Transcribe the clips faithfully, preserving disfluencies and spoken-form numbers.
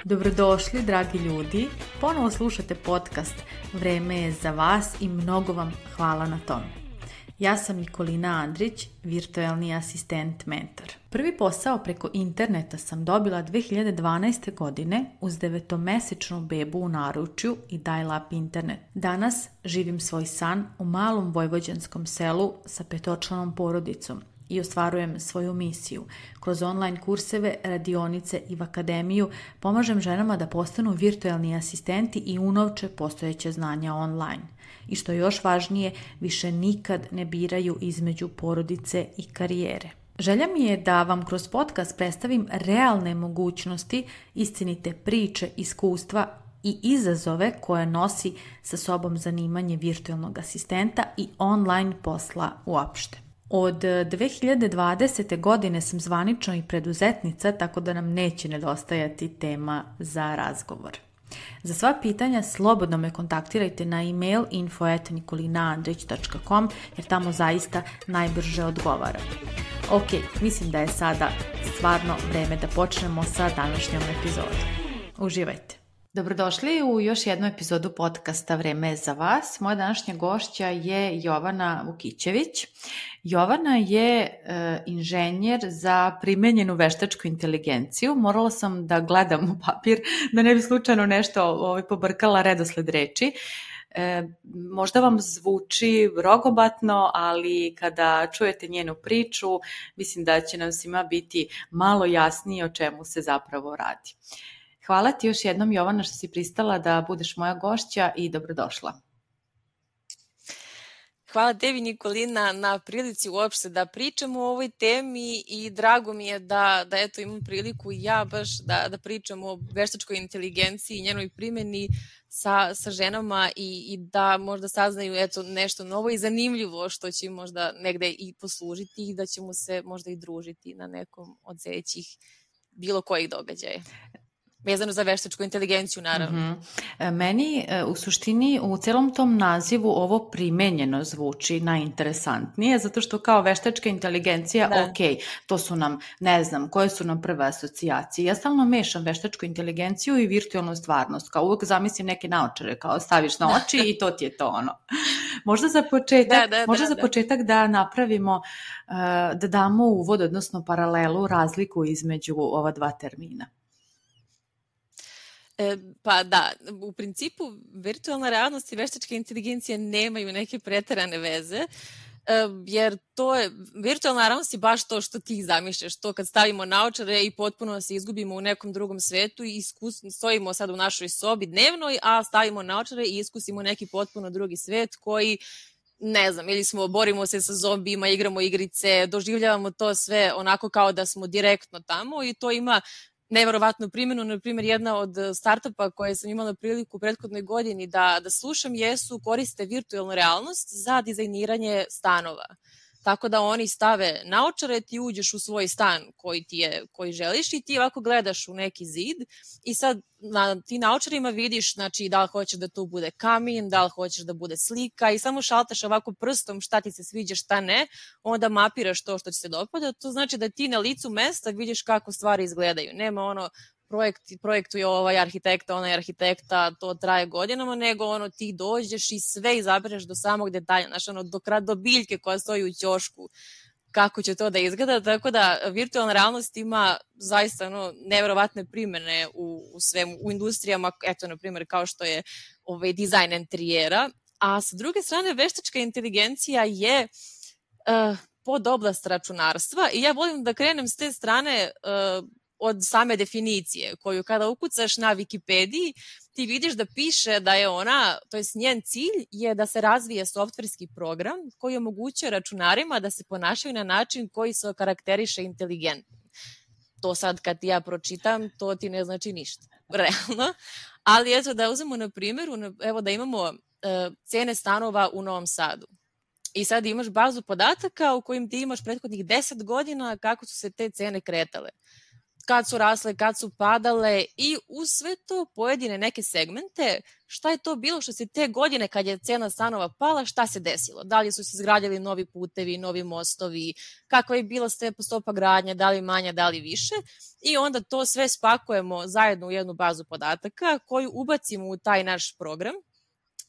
Dobrodošli, dragi ljudi. Ponovo slušate podcast Vreme je za vas i mnogo vam hvala na tome. Ja sam Nikolina Andrić, virtualni asistent mentor. Prvi posao preko interneta sam dobila dve hiljade dvanaeste. godine uz devetomesečnu bebu u naručju i dial-up internet. Danas živim svoj san u malom vojvođanskom selu sa petočlanom porodicom i ostvarujem svoju misiju. Kroz online kurseve, radionice i v akademiju pomažem ženama da postanu virtualni asistenti i unovče postojeće znanja online. I što je još važnije, više nikad ne biraju između porodice i karijere. Želja mi je da vam kroz podcast predstavim realne mogućnosti, istinite priče, iskustva i izazove koje nosi sa sobom zanimanje virtualnog asistenta i online posla uopšte. Od dve hiljade dvadesete. godine sam zvanično i preduzetnica, tako da nam neće nedostajati tema za razgovor. Za sva pitanja slobodno me kontaktirajte na e-mail info at nikolinaandrić dot com jer tamo zaista najbrže odgovaram. Ok, mislim da je sada stvarno vreme da počnemo sa današnjom epizodom. Uživajte! Dobrodošli u još jednu epizodu podcasta Vreme je za vas. Moja današnja gošća je Jovana Vukićević. Jovana je e, inženjer za primenjenu veštačku inteligenciju. Morala sam da gledam u papir da ne bi slučajno nešto ovaj, pobrkala redosled reči. E, možda vam zvuči rogobatno, ali kada čujete njenu priču, mislim da će nam svima biti malo jasnije o čemu se zapravo radi. Hvala ti još jednom, Jovana, što si pristala da budeš moja gošća i dobrodošla. Hvala tebi, Nikolina, na prilici uopšte da pričamo o ovoj temi i drago mi je da, da eto, imam priliku i ja baš da, da pričam o veštačkoj inteligenciji i njenoj primjeni sa, sa ženama i, i da možda saznaju eto, nešto novo i zanimljivo što će možda negde i poslužiti i da ćemo se možda i družiti na nekom od sljedećih bilo kojih događaja. Vezano za veštačku inteligenciju, naravno. Mm-hmm. Meni u suštini u celom tom nazivu ovo primenjeno zvuči najinteresantnije, zato što kao veštačka inteligencija, da. ok, to su nam, ne znam, koje su nam prve asocijacije. Ja stalno mešam veštačku inteligenciju i virtualnu stvarnost, kao uvek zamislim neke naočare, kao staviš na oči i to ti je to ono. Možda za početak, da, da, možda da, za početak da. da napravimo, da damo uvod, odnosno paralelu, razliku između ova dva termina. E, pa da, u principu virtualna realnost i veštačka inteligencija nemaju neke preterane veze, e, jer to je, virtualna realnost je baš to što ti zamišljaš, to kad stavimo naočare i potpuno se izgubimo u nekom drugom svetu i iskus, stojimo sad u našoj sobi dnevnoj, a stavimo naočare i iskusimo neki potpuno drugi svet koji, ne znam, ili smo, borimo se sa zombijima, igramo igrice, doživljavamo to sve onako kao da smo direktno tamo i to ima neverovatnu primjenu. Na primjer, jedna od startupa koje sam imala priliku u prethodnoj godini da, da slušam jesu koriste virtualnu realnost za dizajniranje stanova. Tako da oni stave naočare, ti uđeš u svoj stan koji ti je, koji želiš i ti ovako gledaš u neki zid i sad na ti naočarima vidiš, znači, da li hoćeš da to bude kamin, da li hoćeš da bude slika i samo šaltaš ovako prstom šta ti se sviđa, šta ne, onda mapiraš to što ti se dopada. To znači da ti na licu mesta vidiš kako stvari izgledaju. Nema ono projekt, projektuje ovaj arhitekta, onaj arhitekta, to traje godinama, nego ono ti dođeš i sve izabereš do samog detalja, znači ono do, do biljke koja stoji u ćošku, kako će to da izgleda, tako da virtualna realnost ima zaista ono, neverovatne primjene u, u svemu, u industrijama, eto na primjer kao što je ovaj, dizajn interijera, a sa druge strane veštačka inteligencija je uh, pod oblast računarstva i ja volim da krenem s te strane uh, od same definicije, koju kada ukucaš na Wikipediji, ti vidiš da piše da je ona, to jest njen cilj je da se razvije softverski program koji omogućuje računarima da se ponašaju na način koji se karakteriše inteligentno. To sad kad ja pročitam, to ti ne znači ništa, realno. Ali eto da uzmemo na primjeru, evo da imamo uh, cene stanova u Novom Sadu. I sad imaš bazu podataka u kojim ti imaš prethodnih deset godina kako su se te cene kretale. kad su rasle, kad su padale i uz sve to pojedine neke segmente, šta je to bilo što se te godine kad je cena stanova pala, šta se desilo? Da li su se izgradili novi putevi, novi mostovi, kakva je bila stopa gradnje, da li manja, da li više, i onda to sve spakujemo zajedno u jednu bazu podataka koju ubacimo u taj naš program.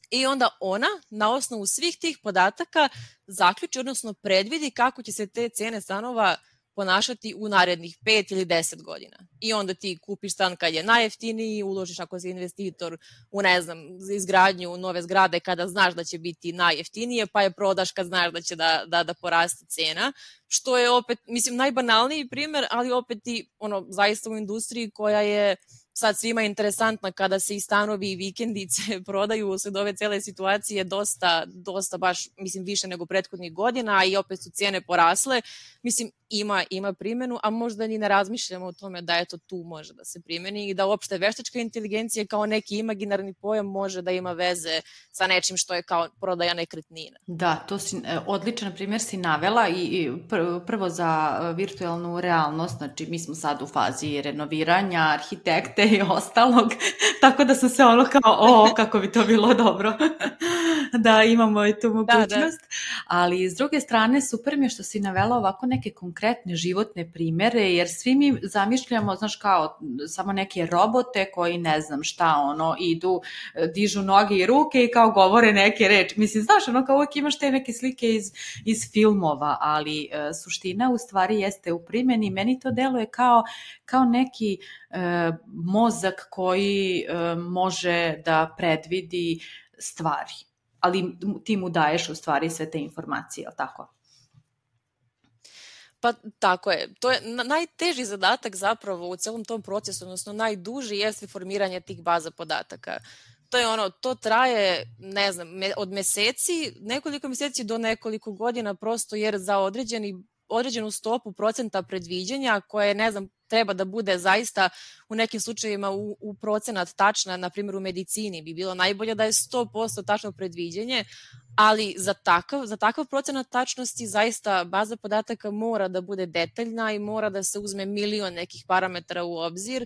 I onda ona na osnovu svih tih podataka zaključi, odnosno predvidi kako će se te cene stanova ponašati u narednih pet ili deset godina. I onda ti kupiš stan kad je najjeftiniji, uložiš ako si investitor u, ne znam, izgradnju nove zgrade kada znaš da će biti najjeftinije, pa je prodaš kad znaš da će da, da, da poraste cena, što je opet, mislim, najbanalniji primer, ali opet i ono, zaista u industriji koja je sad svima interesantna kada se i stanovi i vikendice prodaju usled ove cele situacije dosta, dosta baš, mislim, više nego prethodnih godina, a i opet su cijene porasle. Mislim, ima, ima primjenu, a možda ni ne razmišljamo o tome da eto tu može da se primjeni i da uopšte veštačka inteligencija kao neki imaginarni pojam može da ima veze sa nečim što je kao prodaja nekretnina. Da, to si odličan primjer si navela i, i prvo za virtualnu realnost, znači mi smo sad u fazi renoviranja, arhitekte i ostalog, tako da sam se ono kao, o, kako bi to bilo dobro da imamo i tu mogućnost, da, da. Ali s druge strane super mi je što si navela ovako neke konkretne životne primjere, jer svi mi zamišljamo, znaš, kao samo neke robote koji ne znam šta, ono, idu, dižu noge i ruke i kao govore neke reči. Mislim, znaš, ono, kao uvijek imaš te neke slike iz, iz filmova, ali e, suština u stvari jeste u primjeni. Meni to deluje kao, kao neki e, mozak koji e, može da predvidi stvari, ali ti mu daješ u stvari sve te informacije, ali tako? Pa tako je. To je najteži zadatak zapravo u celom tom procesu, odnosno najduži jeste formiranje tih baza podataka. To je ono, to traje, ne znam, od meseci, nekoliko meseci do nekoliko godina, prosto jer za određeni, određenu stopu procenta predviđanja koje, ne znam, treba da bude zaista u nekim slučajevima u, u procenat tačna, na primjer u medicini bi bilo najbolje da je sto posto tačno predviđenje, ali za takav, za takav procenat tačnosti zaista baza podataka mora da bude detaljna i mora da se uzme milion nekih parametara u obzir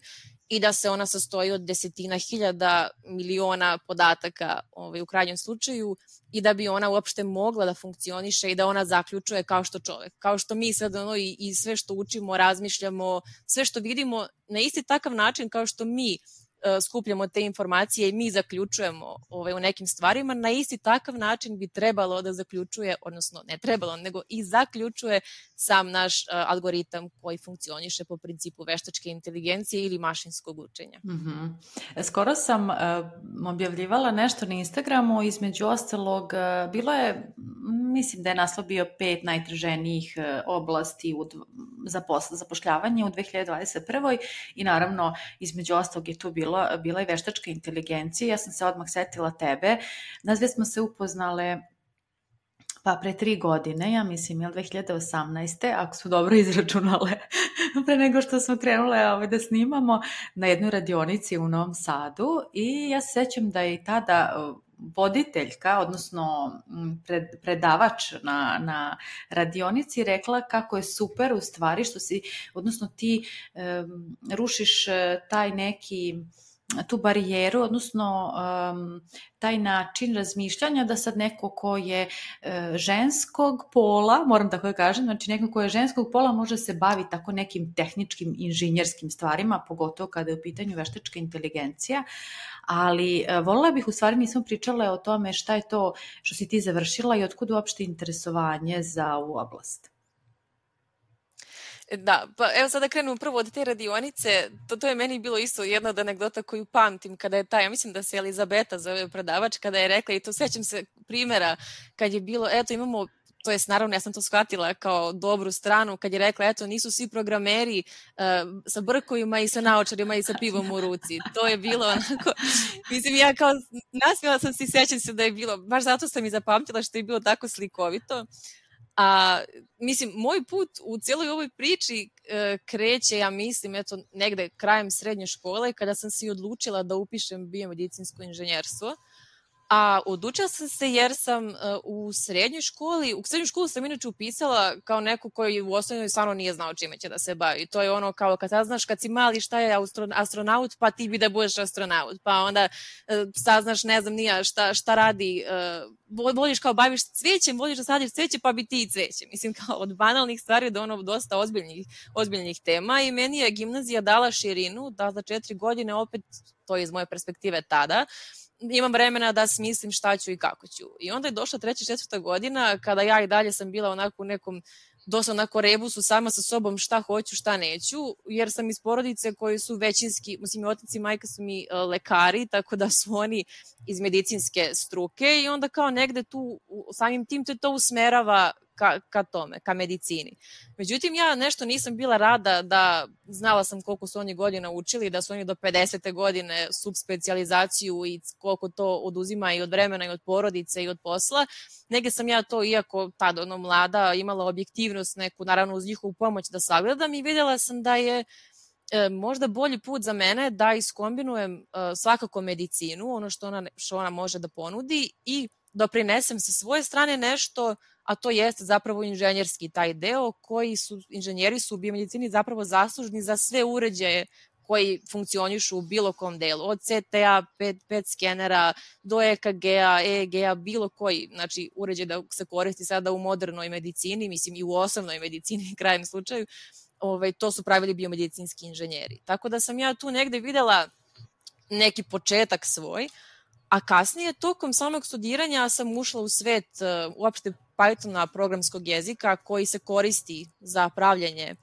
i da se ona sastoji od desetina hiljada miliona podataka ovaj, u krajnjem slučaju i da bi ona uopšte mogla da funkcioniše i da ona zaključuje kao što čovek. Kao što mi sad ono i, i sve što učimo, razmišljamo, sve što vidimo na isti takav način kao što mi uh, skupljamo te informacije i mi zaključujemo ovaj, u nekim stvarima, na isti takav način bi trebalo da zaključuje, odnosno ne trebalo, nego i zaključuje sam naš uh, algoritam koji funkcioniše po principu veštačke inteligencije ili mašinskog učenja. Mm-hmm. Skoro sam uh, objavljivala nešto na Instagramu, između ostalog uh, bilo je, mislim da je naslov bio pet najtraženijih uh, oblasti u, za posl, zapošljavanje u dve hiljade dvadeset prvoj i naravno između ostalog je tu bila, bila i veštačka inteligencija. Ja sam se odmah setila tebe. Nas dve smo se upoznale pa pre tri godine, ja mislim, je dve hiljade osamnaeste. Ako su dobro izračunale, pre nego što smo krenule ove, da snimamo na jednoj radionici u Novom Sadu i ja se sećam da je i tada voditeljka, odnosno pred, predavač na, na radionici rekla kako je super u stvari što si, odnosno ti um, rušiš taj neki tu barijeru, odnosno um, taj način razmišljanja da sad neko ko je uh, ženskog pola, moram tako da kažem, znači neko ko je ženskog pola može se baviti tako nekim tehničkim, inženjerskim stvarima, pogotovo kada je u pitanju veštačka inteligencija, ali uh, voljela bih, u stvari nismo pričale o tome šta je to što si ti završila i otkud uopšte interesovanje za ovu oblast. Da, pa evo sada krenemo prvo od te radionice, to, to je meni bilo isto jedna od anegdota koju pamtim kada je ta, ja mislim da se Elizabeta zove predavač, kada je rekla, i to sećam se primjera kad je bilo, eto imamo, to jest naravno ja sam to shvatila kao dobru stranu, kad je rekla, eto nisu svi programeri uh, sa brkovima i sa naočarima i sa pivom u ruci, to je bilo onako, mislim ja kao nasmijala sam se i sećam se da je bilo, baš zato sam i zapamtila što je bilo tako slikovito. A, mislim, moj put u cijeloj ovoj priči e, kreće, ja mislim, eto, negde krajem srednje škole, kada sam se odlučila da upišem biomedicinsko inženjerstvo. A odučila sam se jer sam uh, u srednjoj školi, u srednju školu sam inače upisala kao neko koji u osnovnoj stvarno nije znao čime će da se bavi. To je ono kao kad saznaš kad si mali šta je astronaut, pa ti bi da budeš astronaut. Pa onda uh, saznaš, ne znam nija šta, šta radi, uh, voliš kao baviš cvećem, voliš da sadiš cveće, pa bi ti i cveće. Mislim kao od banalnih stvari do ono dosta ozbiljnih, ozbiljnih tema i meni je gimnazija dala širinu, da za četiri godine opet, to je iz moje perspektive tada, imam vremena da smislim šta ću i kako ću. I onda je došla treća, četvrta godina kada ja i dalje sam bila onako u nekom dosta onako rebusu sama sa sobom šta hoću, šta neću, jer sam iz porodice koji su većinski, mislim, otac i majka su mi uh, lekari, tako da su oni iz medicinske struke i onda kao negde tu, samim tim te to usmerava ka, ka tome, ka medicini. Međutim, ja nešto nisam bila rada da znala sam koliko su oni godina učili, da su oni do pedesete godine subspecijalizaciju i koliko to oduzima i od vremena i od porodice i od posla. Negde sam ja to, iako tada ono mlada, imala objektivnost neku, naravno uz njihovu pomoć da sagledam i vidjela sam da je e, možda bolji put za mene da iskombinujem e, svakako medicinu, ono što ona, što ona može da ponudi i doprinesem sa svoje strane nešto, a to jeste zapravo inženjerski taj deo koji su, inženjeri su u biomedicini zapravo zaslužni za sve uređaje koji funkcionišu u bilo kom delu, od C T A, pet, pet skenera, do E K G-a, E E G-a, bilo koji, znači uređaj da se koristi sada u modernoj medicini, mislim i u osnovnoj medicini, krajem slučaju, ovaj, to su pravili biomedicinski inženjeri. Tako da sam ja tu negde videla neki početak svoj, a kasnije tokom samog studiranja sam ušla u svet uh, uopšte Pythona, programskog jezika koji se koristi za pravljanje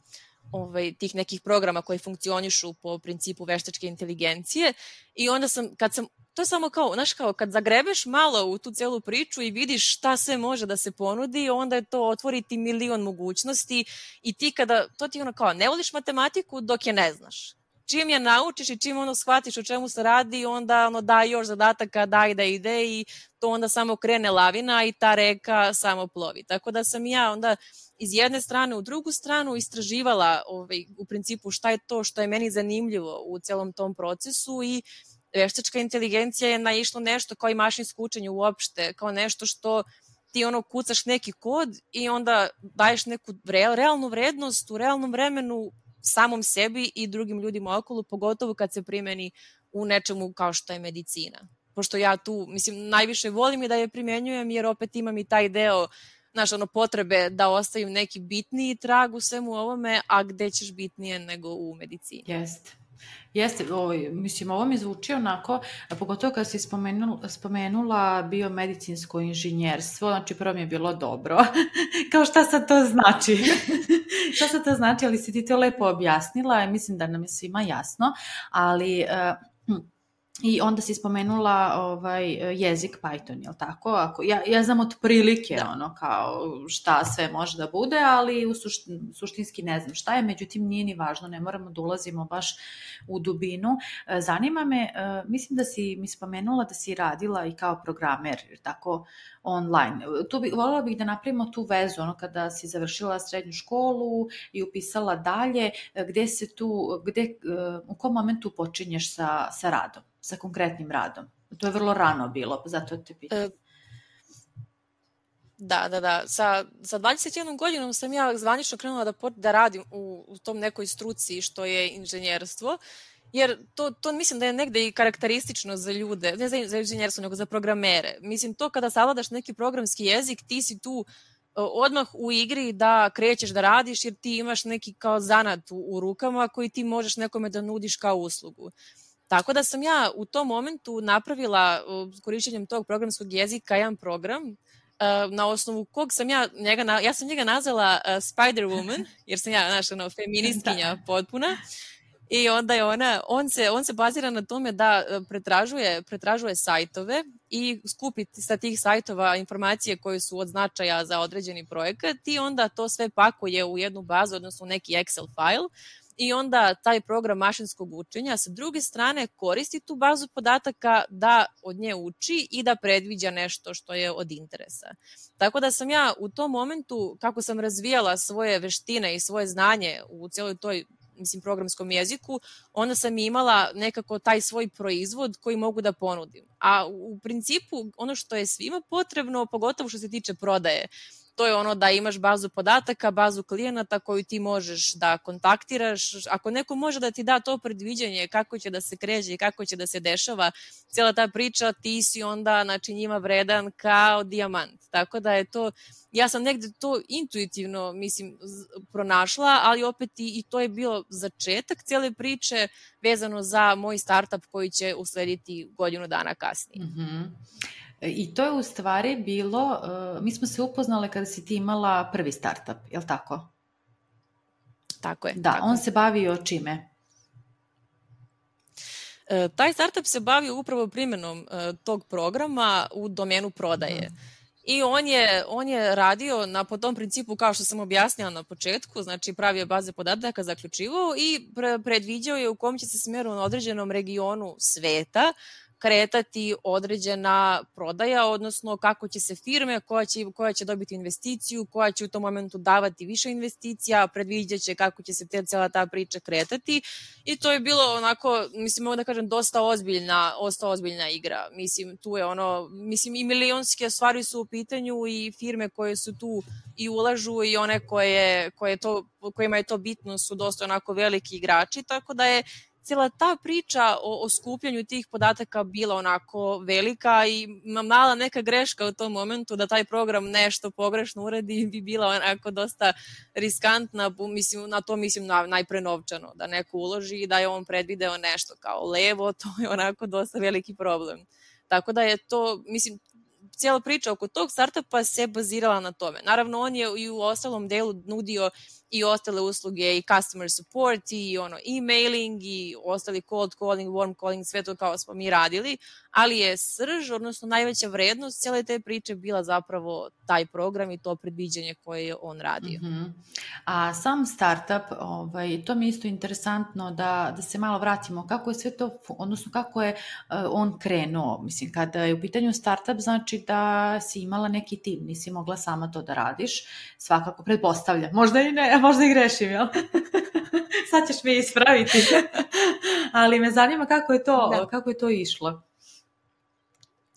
ovaj, tih nekih programa koji funkcionišu po principu veštačke inteligencije i onda sam, kad sam, to je samo kao, znaš kao, kad zagrebeš malo u tu celu priču i vidiš šta sve može da se ponudi, onda je to otvoriti milion mogućnosti i ti kada, to ti ono kao, ne voliš matematiku dok je ne znaš. Čim je naučiš i čim ono shvatiš o čemu se radi, onda ono daj još zadataka, daj da ide i to onda samo krene lavina i ta reka samo plovi. Tako da sam ja onda iz jedne strane u drugu stranu istraživala ovaj, u principu šta je to što je meni zanimljivo u celom tom procesu i veštačka inteligencija je naišlo nešto kao i mašinsko učenje uopšte, kao nešto što ti ono kucaš neki kod i onda daješ neku realnu vrednost u realnom vremenu samom sebi i drugim ljudima okolo, pogotovo kad se primeni u nečemu kao što je medicina. Pošto ja tu, mislim, najviše volim i da je primenjujem, jer opet imam i taj deo, znaš, ono, potrebe da ostavim neki bitniji trag u svemu ovome, a gde ćeš bitnije nego u medicini. Jeste. Jeste, ovaj, mislim, ovo mi zvuči onako, pogotovo kad si spomenula, spomenula biomedicinsko inženjerstvo, znači prvo mi je bilo dobro, kao šta sad to znači, šta sad to znači, ali si ti to lepo objasnila i mislim da nam je svima jasno, ali... Uh, I onda si spomenula ovaj, jezik Python, je li tako? Ako, ja, ja znam otprilike da. ono kao šta sve može da bude, ali u sušti, suštinski ne znam šta je, međutim nije ni važno, ne moramo da ulazimo baš u dubinu. Zanima me, mislim da si mi spomenula da si radila i kao programer, tako online. Tu bi, voljela bih da napravimo tu vezu, ono kada si završila srednju školu i upisala dalje, gde se tu, gde, u kom momentu počinješ sa, sa radom? Sa konkretnim radom. To je vrlo rano bilo, zato te pitam. E, da, da, da. Sa, sa dvadeset jednom godinom sam ja zvanično krenula da, da radim u, u tom nekoj struci što je inženjerstvo, jer to, to mislim da je negde i karakteristično za ljude, ne za, za inženjerstvo, nego za programere. Mislim, to kada savladaš neki programski jezik, ti si tu odmah u igri da krećeš da radiš, jer ti imaš neki kao zanat u, u rukama koji ti možeš nekome da nudiš kao uslugu. Tako da sam ja u tom momentu napravila korišćenjem tog programskog jezika jedan program na osnovu kog sam ja njega, ja sam njega nazvala Spider-Woman, jer sam ja, znaš, ono, feministkinja potpuna. I onda je ona, on se, on se bazira na tome da pretražuje, pretražuje sajtove i skupi sa tih sajtova informacije koje su od značaja za određeni projekat i onda to sve pakuje u jednu bazu, odnosno u neki Excel file. I onda taj program mašinskog učenja sa druge strane koristi tu bazu podataka da od nje uči i da predviđa nešto što je od interesa. Tako da sam ja u tom momentu, kako sam razvijala svoje veštine i svoje znanje u cijeloj toj mislim, programskom jeziku, onda sam imala nekako taj svoj proizvod koji mogu da ponudim. A u principu ono što je svima potrebno, pogotovo što se tiče prodaje, to je ono da imaš bazu podataka, bazu klijenata koju ti možeš da kontaktiraš. Ako neko može da ti da to predviđanje kako će da se kreće i kako će da se dešava cijela ta priča, ti si onda znači, njima vredan kao dijamant. Tako da je to, ja sam negde to intuitivno mislim pronašla, ali opet i, i to je bio začetak cijele priče vezano za moj startup koji će uslediti godinu dana kasnije. Mm-hmm. I to je u stvari bilo, uh, mi smo se upoznale kada si ti imala prvi startup, je li tako? Tako je. Da, tako on je. se bavio čime? E, taj startup se bavio upravo primjenom e, tog programa u domenu prodaje. Mm. I on je, on je radio na, po tom principu kao što sam objasnila na početku, znači pravio baze podataka, zaključivao i pre, predviđao je u kom će se smjeru na određenom regionu sveta kretati određena prodaja, odnosno kako će se firme, koja će, koja će dobiti investiciju, koja će u tom momentu davati više investicija, predviđat će kako će se te, cijela ta priča kretati i to je bilo onako, mislim, mogu da kažem, dosta ozbiljna, dosta ozbiljna igra. Mislim, tu je ono, mislim, i milionske stvari su u pitanju i firme koje su tu i ulažu i one koje, koje to, kojima je to bitno su dosta onako veliki igrači, tako da je cijela ta priča o, o skupljanju tih podataka bila onako velika i mala neka greška u tom momentu da taj program nešto pogrešno uradi bi bila onako dosta riskantna, mislim, na to mislim na, najpre novčano, da neko uloži i da je on predvideo nešto kao levo, to je onako dosta veliki problem. Tako da je to, mislim, cijela priča oko tog startupa se bazirala na tome. Naravno, on je i u ostalom delu nudio i ostale usluge i customer support i ono emailing i ostali cold calling, warm calling, sve to kao smo mi radili, ali je srž, odnosno najveća vrednost cijele te priče bila zapravo taj program i to predviđanje koje je on radio. Mm-hmm. A sam startup, ovaj, to mi je isto interesantno da, da se malo vratimo, kako je sve to, odnosno kako je uh, on krenuo, mislim, kada je u pitanju startup, znači da si imala neki tim, nisi mogla sama to da radiš, svakako pretpostavljam, možda i ne, možda i grešim, jel? Sad ćeš me ispraviti. Ali me zanima kako je to, da. kako je to išlo.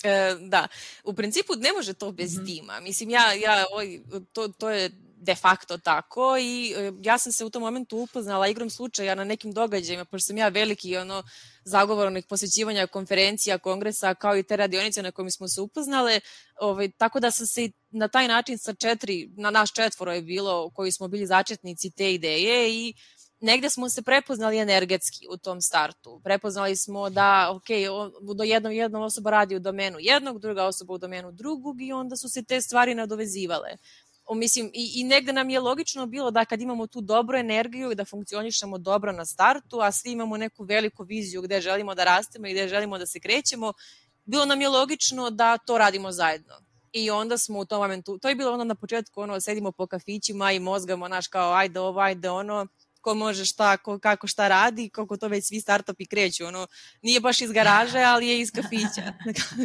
E, da, u principu ne može to bez mm-hmm. tima. Mislim, ja, ja oj, to, to je de facto tako i ja sam se u tom momentu upoznala igrom slučaja na nekim događajima, pošto sam ja veliki ono, zagovornik posjećivanja konferencija, kongresa, kao i te radionice na kojima smo se upoznale, ovaj, tako da sam se na taj način sa četiri, na naš četvoro je bilo, koji smo bili začetnici te ideje i negde smo se prepoznali energetski u tom startu. Prepoznali smo da, ok, do jednog, jedna osoba radi u domenu jednog, druga osoba u domenu drugog i onda su se te stvari nadovezivale. O, mislim, i, i negde nam je logično bilo da kad imamo tu dobru energiju i da funkcionišemo dobro na startu, a svi imamo neku veliku viziju gde želimo da rastemo i gde želimo da se krećemo, bilo nam je logično da to radimo zajedno. I onda smo u tom momentu, to je bilo ono na početku, ono, sedimo po kafićima i mozgamo, naš kao, ajde ovo, ajde ono, ko može šta, ko, kako šta radi, kako to već svi startupi kreću, ono, nije baš iz garaže, ali je iz kafića,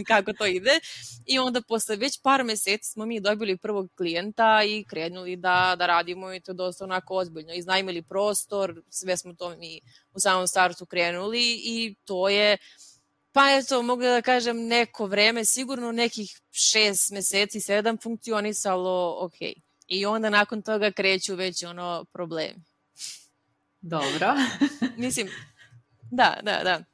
kako to ide. I onda posle već par meseci smo mi dobili prvog klijenta i krenuli da, da radimo i to dosta onako ozbiljno. Iznajmili prostor, sve smo to mi u samom startu krenuli i to je, pa eto, mogu da kažem, neko vreme, sigurno nekih šest meseci, sedam funkcionisalo ok. I onda nakon toga kreću već ono problemi. Dobro. Mislim, da, da, da.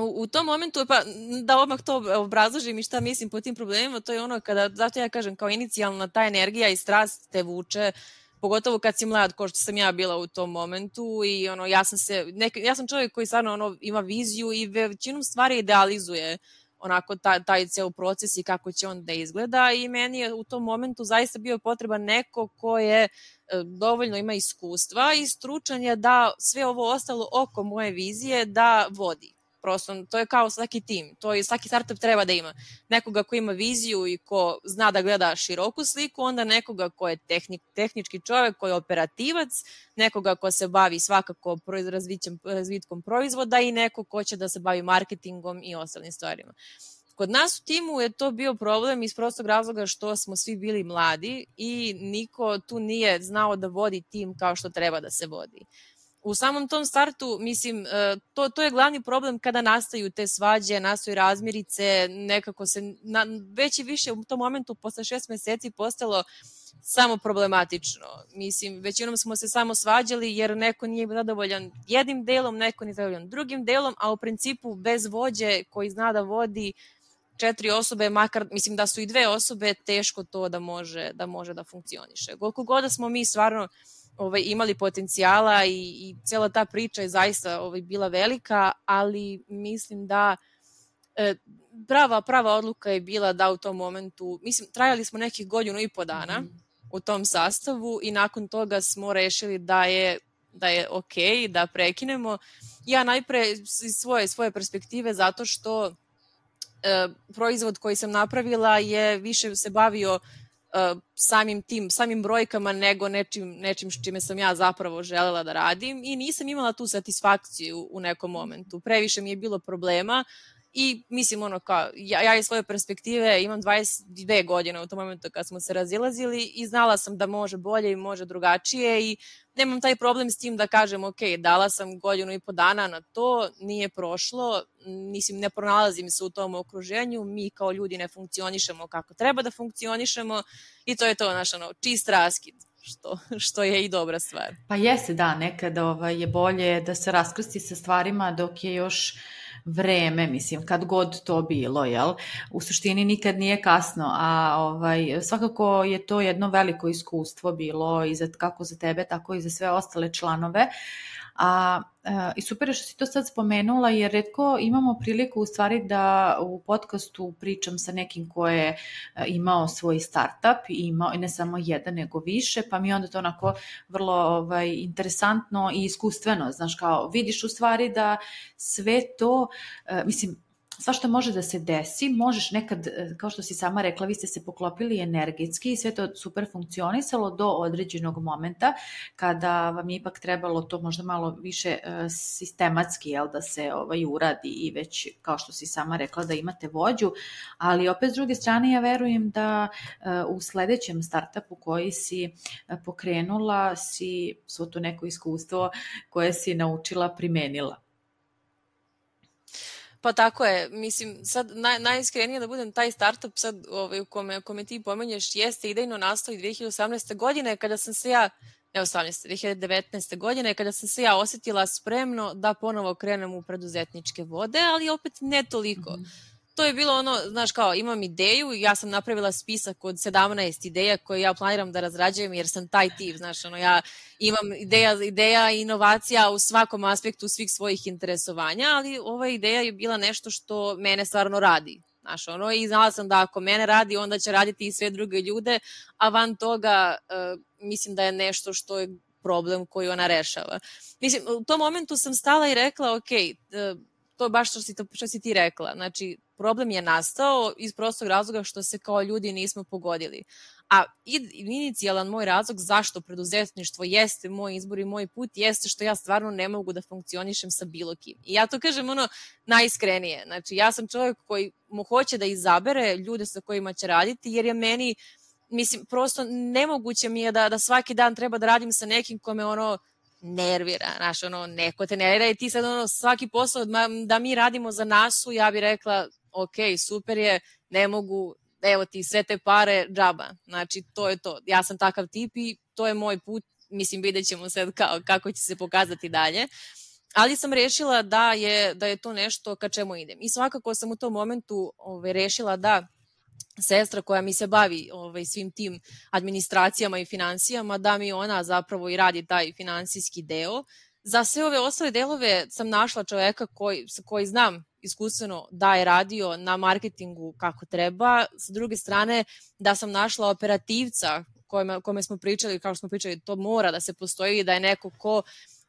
U, u tom momentu, pa da odmah to obrazložim i šta mislim po tim problemima, to je ono kada, zato ja kažem, kao inicijalna ta energija i strast te vuče, pogotovo kad si mlad, kao što sam ja bila u tom momentu i ono, ja sam se, nek, ja sam čovjek koji stvarno ono, ima viziju i većinom stvari idealizuje onako taj, taj ceo proces i kako će on da izgleda i meni je u tom momentu zaista bio potreban neko ko je dovoljno ima iskustva i stručan je da sve ovo ostalo oko moje vizije da vodi. Prosto, to je kao svaki tim, to je, svaki startup treba da ima nekoga ko ima viziju i ko zna da gleda široku sliku, onda nekoga ko je tehnik, tehnički čovjek, ko je operativac, nekoga ko se bavi svakako razvitkom proizvoda i neko ko će da se bavi marketingom i ostalim stvarima. Kod nas u timu je to bio problem iz prostog razloga što smo svi bili mladi i niko tu nije znao da vodi tim kao što treba da se vodi. u samom tom startu, mislim, to, to je glavni problem kada nastaju te svađe, nastaju razmirice, nekako se na, već i više u tom momentu posle šest meseci postalo samo problematično. Mislim, većinom smo se samo svađali jer neko nije zadovoljan jednim delom, neko nije zadovoljan drugim delom, a u principu bez vođe koji zna da vodi četiri osobe, makar, mislim da su i dve osobe, teško to da može da, može da funkcioniše. Koliko god da smo mi stvarno ovaj, imali potencijala i, i cijela ta priča je zaista ovaj, bila velika, ali mislim da e, prava, prava odluka je bila da u tom momentu, mislim, trajali smo nekih godinu i po dana mm. u tom sastavu i nakon toga smo rešili da je, da je okej, da prekinemo. Ja najpre iz svoje, svoje perspektive zato što e, proizvod koji sam napravila je više se bavio Uh, samim tim, samim brojkama nego nečim, nečim čime sam ja zapravo želela da radim i nisam imala tu satisfakciju u nekom momentu. Previše mi je bilo problema i mislim ono kao, ja, ja iz svoje perspektive imam dvadeset dve godine u tom momentu kad smo se razilazili i znala sam da može bolje i može drugačije i nemam taj problem s tim da kažem ok, dala sam godinu i po dana na to, nije prošlo, mislim ne pronalazim se u tom okruženju, mi kao ljudi ne funkcionišemo kako treba da funkcionišemo i to je to naš ono, čist raskid. Što, što je i dobra stvar. Pa jeste, da, nekada ovaj, je bolje da se raskrsti sa stvarima dok je još vreme, mislim, kad god to bilo, jel? U suštini nikad nije kasno, a ovaj, svakako je to jedno veliko iskustvo bilo i za, kako za tebe, tako i za sve ostale članove. A, a, i super je što si to sad spomenula, jer retko imamo priliku u stvari da u podcastu pričam sa nekim ko je imao svoj startup i imao ne samo jedan nego više, pa mi onda to onako vrlo ovaj, interesantno i iskustveno, znaš, kao vidiš u stvari da sve to, a, mislim, svašta može da se desi, možeš nekad, kao što si sama rekla, vi ste se poklopili energetski i sve to super funkcionisalo do određenog momenta kada vam je ipak trebalo to možda malo više sistematski, jel, da se ovaj, uradi i već, kao što si sama rekla, da imate vođu, ali opet s druge strane ja verujem da u sledećem startupu koji si pokrenula si svo to neko iskustvo koje si naučila primenila. Pa tako je, mislim, sad naj, najiskrenije da budem, taj startup sad ovaj, u kome, kome ti pomenješ jeste idejno nastao i dve hiljade osamnaeste. godine kada sam se ja, ne osamnaeste. dve hiljade devetnaeste. godine kada sam se ja osjetila spremno da ponovo krenem u preduzetničke vode, ali opet ne toliko. Mm-hmm. To je bilo ono, znaš kao, imam ideju, ja sam napravila spisak od sedamnaest ideja koje ja planiram da razrađujem jer sam taj tip, znaš, ono, ja imam ideja, ideja i inovacija u svakom aspektu svih svojih interesovanja, ali ova ideja je bila nešto što mene stvarno radi, znaš, ono, i znala sam da ako mene radi, onda će raditi i sve druge ljude, a van toga uh, mislim da je nešto što je problem koji ona rešava. Mislim, u tom momentu sam stala i rekla, ok, uh, to je baš što si, to, što si ti rekla, znači, problem je nastao iz prostog razloga što se kao ljudi nismo pogodili. A inicijalan moj razlog zašto preduzetništvo jeste moj izbor i moj put jeste što ja stvarno ne mogu da funkcionišem sa bilo kim. I ja to kažem ono najiskrenije. Znači ja sam čovjek koji mu hoće da izabere ljude sa kojima će raditi jer je meni, mislim, prosto nemoguće mi je da, da svaki dan treba da radim sa nekim kome ono nervira, znaš, ono, neko te nervira i ti sad ono svaki posao da mi radimo za nasu, ja bih rekla ok, super je, ne mogu, evo ti sve te pare, džaba. Znači, to je to. Ja sam takav tip i to je moj put. Mislim, vidjet ćemo sad kao, kako će se pokazati dalje. Ali sam rešila da je, da je to nešto ka čemu idem. I svakako sam u tom momentu ove, rešila da sestra koja mi se bavi ovaj, svim tim administracijama i finansijama, da mi ona zapravo i radi taj finansijski deo. Za sve ove ostale delove sam našla čoveka koji, koji znam iskustveno da je radio na marketingu kako treba. Sa druge strane, da sam našla operativca kome, kome smo pričali, kako smo pričali, to mora da se postoji, da je neko ko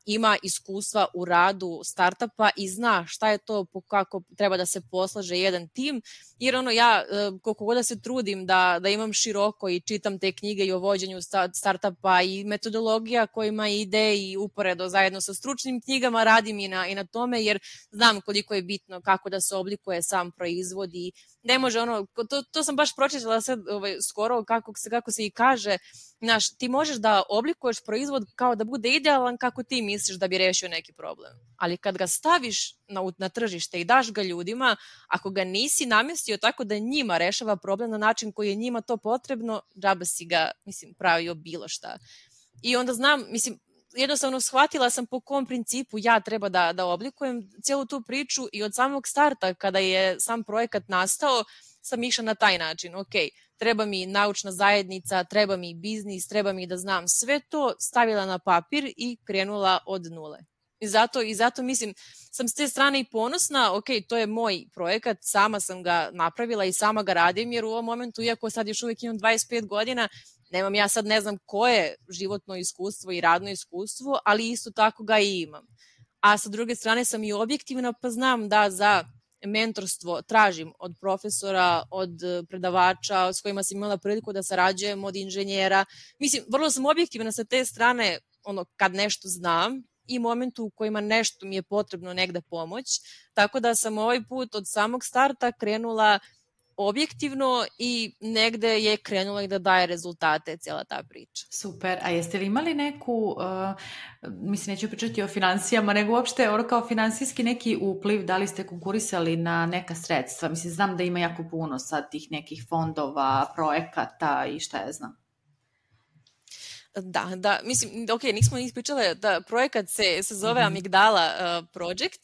ima iskustva u radu startupa i zna šta je to, kako treba da se poslaže jedan tim, jer ono ja koliko god da se trudim da, da imam široko i čitam te knjige i o vođenju startupa i metodologija kojima ide i uporedo zajedno sa stručnim knjigama radim i na, i na tome, jer znam koliko je bitno kako da se oblikuje sam proizvod i ne može ono, to, to sam baš pročitala sad ovaj, skoro kako se, kako se i kaže, znaš, ti možeš da oblikuješ proizvod kao da bude idealan kako ti misliš da bi rešio neki problem. Ali kad ga staviš na, na tržište i daš ga ljudima, ako ga nisi namestio tako da njima rešava problem na način koji je njima to potrebno, džaba si ga, mislim, pravio bilo šta. I onda znam, mislim, jednostavno shvatila sam po kom principu ja treba da, da oblikujem cijelu tu priču i od samog starta kada je sam projekat nastao sam išla na taj način. Ok, treba mi naučna zajednica, treba mi biznis, treba mi da znam sve to, stavila na papir i krenula od nule. I zato, i zato mislim, sam s te strane i ponosna, ok, to je moj projekat, sama sam ga napravila i sama ga radim, jer u ovom momentu, iako sad još uvijek imam dvadeset pet godina, nemam ja sad ne znam koje životno iskustvo i radno iskustvo, ali isto tako ga i imam. A sa druge strane sam i objektivna, pa znam da za mentorstvo tražim od profesora, od predavača s kojima sam imala priliku da sarađujem, od inženjera. Mislim, vrlo sam objektivna sa te strane, ono, kad nešto znam i momentu u kojima nešto mi je potrebno negde pomoć. Tako da sam ovaj put od samog starta krenula objektivno i negde je krenula i da daje rezultate cijela ta priča. Super, a jeste li imali neku, uh, mislim neću pričati o finansijama, nego uopšte ono kao finansijski neki upliv, da li ste konkurisali na neka sredstva? Mislim, znam da ima jako puno sad tih nekih fondova, projekata i šta ja znam. Da, da, mislim, ok, nismo ispričale da projekat se, se zove mm-hmm. Amigdala uh, Project.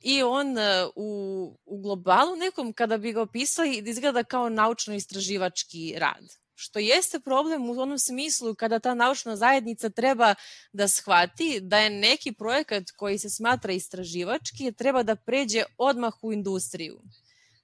I on uh, u, u globalu nekom, kada bi ga opisali, izgleda kao naučno-istraživački rad. Što jeste problem u onom smislu kada ta naučna zajednica treba da shvati da je neki projekat koji se smatra istraživački treba da pređe odmah u industriju.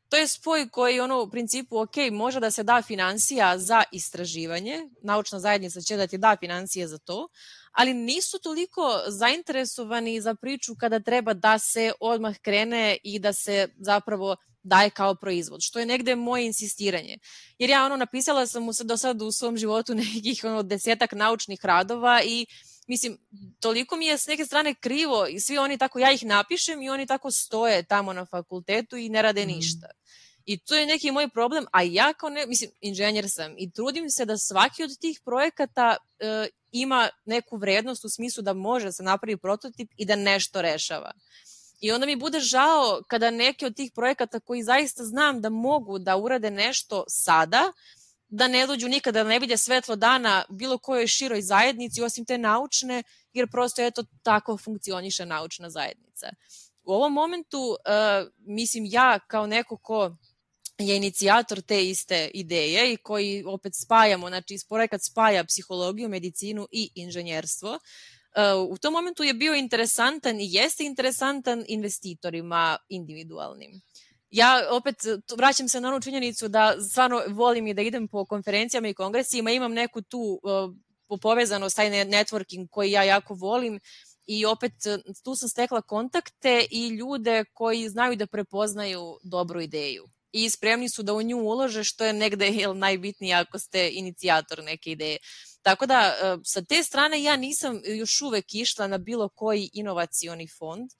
To je spoj koji ono u principu, ok, može da se da finansija za istraživanje, naučna zajednica će da ti da finansije za to, ali nisu toliko zainteresovani za priču kada treba da se odmah krene i da se zapravo daje kao proizvod, što je negde moje insistiranje. Jer ja ono napisala sam mu do sad u svom životu nekih ono desetak naučnih radova i mislim, toliko mi je s neke strane krivo i svi oni tako, ja ih napišem i oni tako stoje tamo na fakultetu i ne rade ništa. I to je neki moj problem, a ja kao ne, mislim, inženjer sam i trudim se da svaki od tih projekata e, ima neku vrednost u smislu da može da se napravi prototip i da nešto rešava. I onda mi bude žao kada neki od tih projekata koji zaista znam da mogu da urade nešto sada, da ne dođu nikada, da ne vide svetlo dana bilo kojoj široj zajednici osim te naučne, jer prosto eto tako funkcioniše naučna zajednica. U ovom momentu, uh, mislim ja kao neko ko je inicijator te iste ideje i koji opet spajamo, znači projekat spaja psihologiju, medicinu i inženjerstvo, uh, u tom momentu je bio interesantan i jeste interesantan investitorima individualnim. Ja opet vraćam se na onu činjenicu da stvarno volim i da idem po konferencijama i kongresima, imam neku tu uh, povezanost, taj networking koji ja jako volim i opet tu sam stekla kontakte i ljude koji znaju da prepoznaju dobru ideju i spremni su da u nju ulože, što je negde jel, najbitnije ako ste inicijator neke ideje. Tako da uh, sa te strane ja nisam još uvek išla na bilo koji inovacioni fond,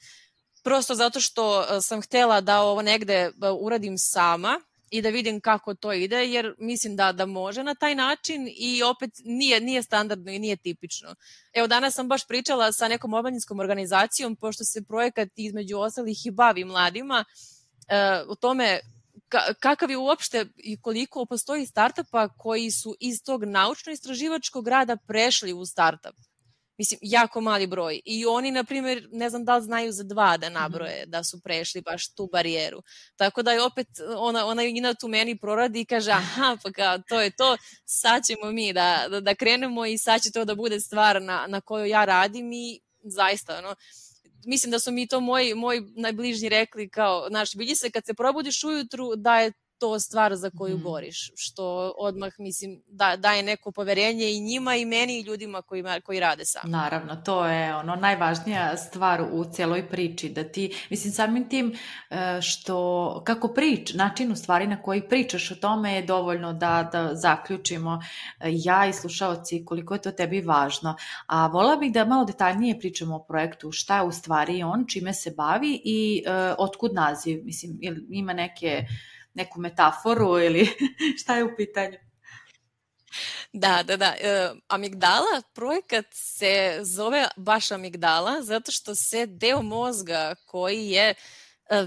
prosto zato što sam htela da ovo negde uradim sama i da vidim kako to ide, jer mislim da, da može na taj način i opet nije, nije standardno i nije tipično. Evo danas sam baš pričala sa nekom omladinskom organizacijom, pošto se projekat između ostalih i bavi mladima, e, o tome ka, kakav je uopšte i koliko postoji startupa koji su iz tog naučno-istraživačkog rada prešli u startup. Mislim, jako mali broj. I oni, na primjer, ne znam da li znaju za dva da nabroje, da su prešli baš tu barijeru. Tako da je opet ona, ona Ina tu meni proradi i kaže, aha, pa kao, to je to, sad ćemo mi da, da, da krenemo i sad će to da bude stvar na, na kojoj ja radim i zaista, ono, mislim da su mi to moji, moji najbližnji rekli kao, znaš, vidi se kad se probudiš ujutru da je to stvar za koju mm. boriš, što odmah, mislim, da, daje neko poverenje i njima i meni i ljudima koji, koji rade sami. Naravno, to je ono najvažnija stvar u cijeloj priči, da ti, mislim, samim tim što, kako prič, način u stvari na koji pričaš o tome je dovoljno da, da zaključimo ja i slušaoci koliko je to tebi važno. A vola bih da malo detaljnije pričamo o projektu, šta je u stvari on, čime se bavi i uh, otkud naziv, mislim, ima neke neku metaforu ili šta je u pitanju? Da, da, da. E, amigdala, projekat se zove baš amigdala zato što se deo mozga koji je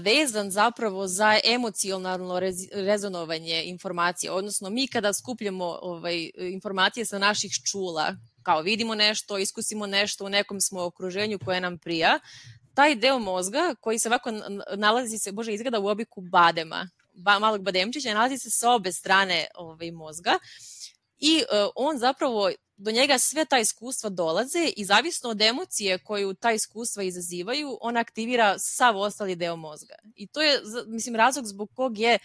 vezan zapravo za emocionalno rez, rezonovanje informacija, odnosno mi kada skupljamo ovaj, informacije sa naših čula, kao vidimo nešto, iskusimo nešto, u nekom smo okruženju koje nam prija, taj deo mozga koji se ovako nalazi se, bože, izgleda u obliku badema, ba, malog bademčića, nalazi se sa obe strane ovaj, mozga i uh, on zapravo, do njega sve ta iskustva dolaze i zavisno od emocije koju ta iskustva izazivaju, on aktivira sav ostali deo mozga. I to je, mislim, razlog zbog kog je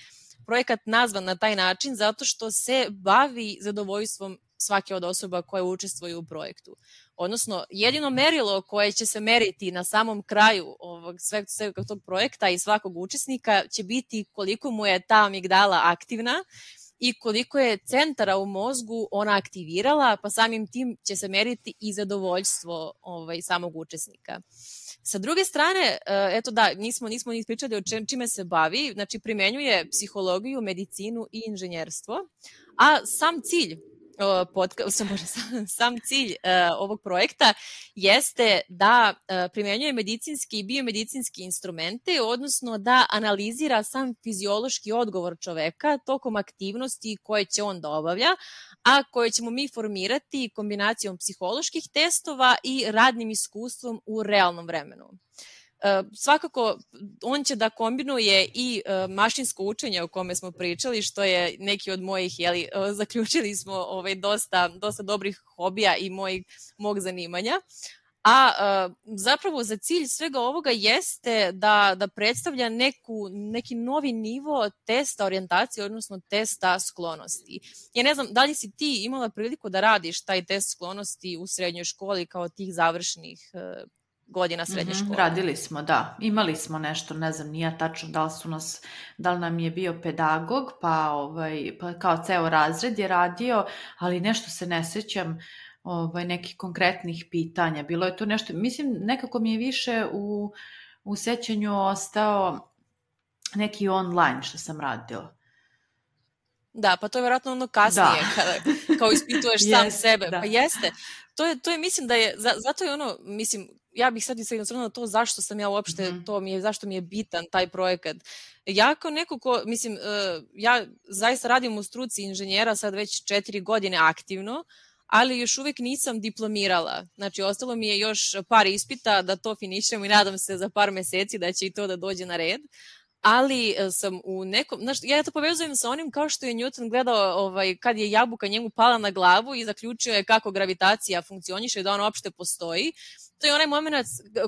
projekat nazvan na taj način, zato što se bavi zadovoljstvom svake od osoba koje učestvuju u projektu. Odnosno, jedino merilo koje će se meriti na samom kraju ovog sveg, sveg tog projekta i svakog učesnika će biti koliko mu je ta amigdala aktivna i koliko je centara u mozgu ona aktivirala, pa samim tim će se meriti i zadovoljstvo ovaj, samog učesnika. Sa druge strane, eto da, nismo, nismo ni pričali o čime se bavi, znači primenjuje psihologiju, medicinu i inženjerstvo, a sam cilj Podcast, sam cilj uh, ovog projekta jeste da uh, primenjuje medicinski i biomedicinski instrumente, odnosno da analizira sam fiziološki odgovor čoveka tokom aktivnosti koje će on da obavlja, a koje ćemo mi formirati kombinacijom psiholoških testova i radnim iskustvom u realnom vremenu. Uh, svakako, on će da kombinuje i uh, mašinsko učenje o kome smo pričali, što je neki od mojih, jeli, uh, zaključili smo ovaj, dosta, dosta dobrih hobija i mojeg, mog zanimanja. A uh, zapravo za cilj svega ovoga jeste da, da predstavlja neku, neki novi nivo testa orijentacije, odnosno testa sklonosti. Ja ne znam, da li si ti imala priliku da radiš taj test sklonosti u srednjoj školi kao tih završnih uh, godina srednje škole? Mm-hmm, radili smo, da. Imali smo nešto, ne znam, nije tačno da li su nas, da li nam je bio pedagog, pa, ovaj, pa kao ceo razred je radio, ali nešto se ne sećam ovaj, nekih konkretnih pitanja. Bilo je to nešto, mislim, nekako mi je više u, u sećanju ostao neki online što sam radila. Da, pa to je vjerojatno ono kasnije, da. Kada, kao ispituješ sam yes, sebe. Da. Pa jeste. To je, to je, mislim da je, zato je ono, mislim, ja bih sad i sad jednostavno to zašto sam ja uopšte, mm-hmm. to mi je, zašto mi je bitan taj projekat. Ja kao neko ko, mislim, uh, ja zaista radim u struci inženjera sad već četiri godine aktivno, ali još uvijek nisam diplomirala. Znači, ostalo mi je još par ispita da to finišem i nadam se za par meseci da će i to da dođe na red. Ali sam u nekom, znaš, ja to povezujem sa onim kao što je Newton gledao ovaj, kad je jabuka njemu pala na glavu i zaključio je kako gravitacija funkcioniše i da ona uopšte postoji. To je onaj moment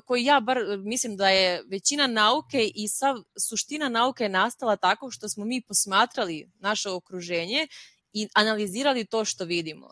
koji ja bar mislim da je većina nauke i sav suština nauke je nastala tako što smo mi posmatrali naše okruženje i analizirali to što vidimo.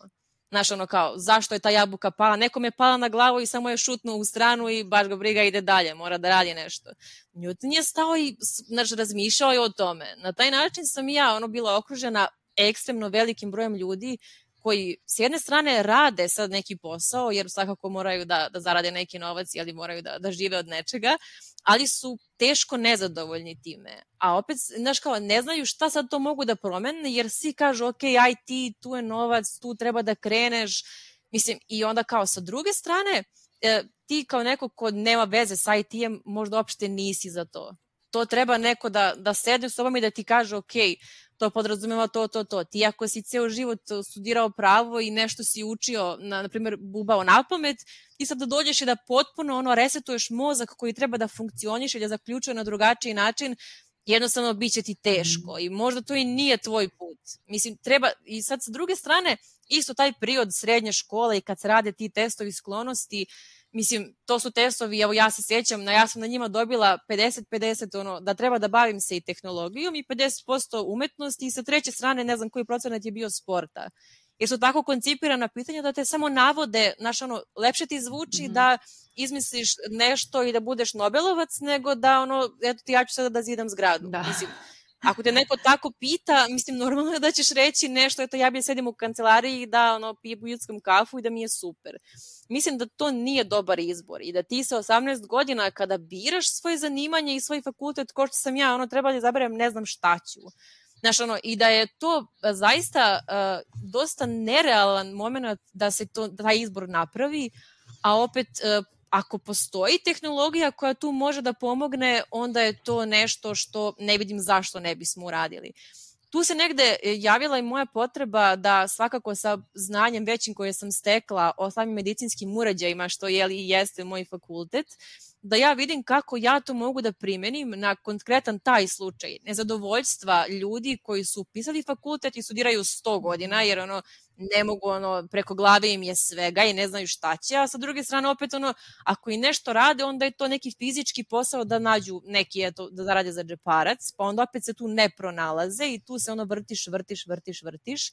Znaš, ono kao, zašto je ta jabuka pala? Nekom je pala na glavu i samo je šutnuo u stranu i baš ga briga, ide dalje, mora da radi nešto. Newton je stao i, znaš, razmišljao je o tome. Na taj način sam i ja, ono, bila okružena ekstremno velikim brojem ljudi koji s jedne strane rade sad neki posao, jer svakako moraju da, da zarade neki novac, ali moraju da, da žive od nečega, ali su teško nezadovoljni time. A opet, znaš kao, ne znaju šta sad to mogu da promene, jer svi kažu, ok, aj ti, tu je novac, tu treba da kreneš. Mislim, i onda kao sa druge strane, e, ti kao neko ko nema veze sa I T-em, možda uopšte nisi za to. To treba neko da, da sedne s tobom i da ti kaže, ok, to podrazumeva to, to, to. Ti ako si ceo život studirao pravo i nešto si učio, na, na primjer, bubao na pamet, ti sad da dođeš i da potpuno ono, resetuješ mozak koji treba da funkcioniše i da zaključuje na drugačiji način, jednostavno bit će ti teško i možda to i nije tvoj put. Mislim, treba, i sad sa druge strane, isto taj period srednje škole i kad se rade ti testovi sklonosti, mislim, to su testovi, evo ja se sjećam, ja sam na njima dobila pedeset pedeset, ono, da treba da bavim se i tehnologijom i pedeset posto umetnosti i sa treće strane ne znam koji procenat je bio sporta. Jer su tako koncipirana pitanja da te samo navode, znaš, ono, lepše ti zvuči mm-hmm. da izmisliš nešto i da budeš Nobelovac, nego da, ono, eto ti ja ću sada da zidam zgradu. Da. Mislim, ako te neko tako pita, mislim, normalno je da ćeš reći nešto, eto ja bi sedim u kancelariji da ono, pijem ljudskom kafu i da mi je super. Mislim da to nije dobar izbor i da ti sa osamnaest godina kada biraš svoje zanimanje i svoj fakultet, ko što sam ja, ono treba da izaberem ne znam šta ću. Znaš, ono, i da je to zaista uh, dosta nerealan moment da se to, da taj izbor napravi, a opet uh, ako postoji tehnologija koja tu može da pomogne, onda je to nešto što ne vidim zašto ne bismo uradili. Tu se negde javila i moja potreba da svakako sa znanjem većim koje sam stekla o samim medicinskim uređajima, što je li jeste moj fakultet, da ja vidim kako ja to mogu da primenim na konkretan taj slučaj nezadovoljstva ljudi koji su upisali fakultet i studiraju sto godina, jer ono, ne mogu, ono, preko glave im je svega i ne znaju šta će, a sa druge strane opet, ono, ako i nešto rade, onda je to neki fizički posao da nađu neki, eto, da rade za džeparac, pa onda opet se tu ne pronalaze i tu se ono vrtiš, vrtiš, vrtiš, vrtiš.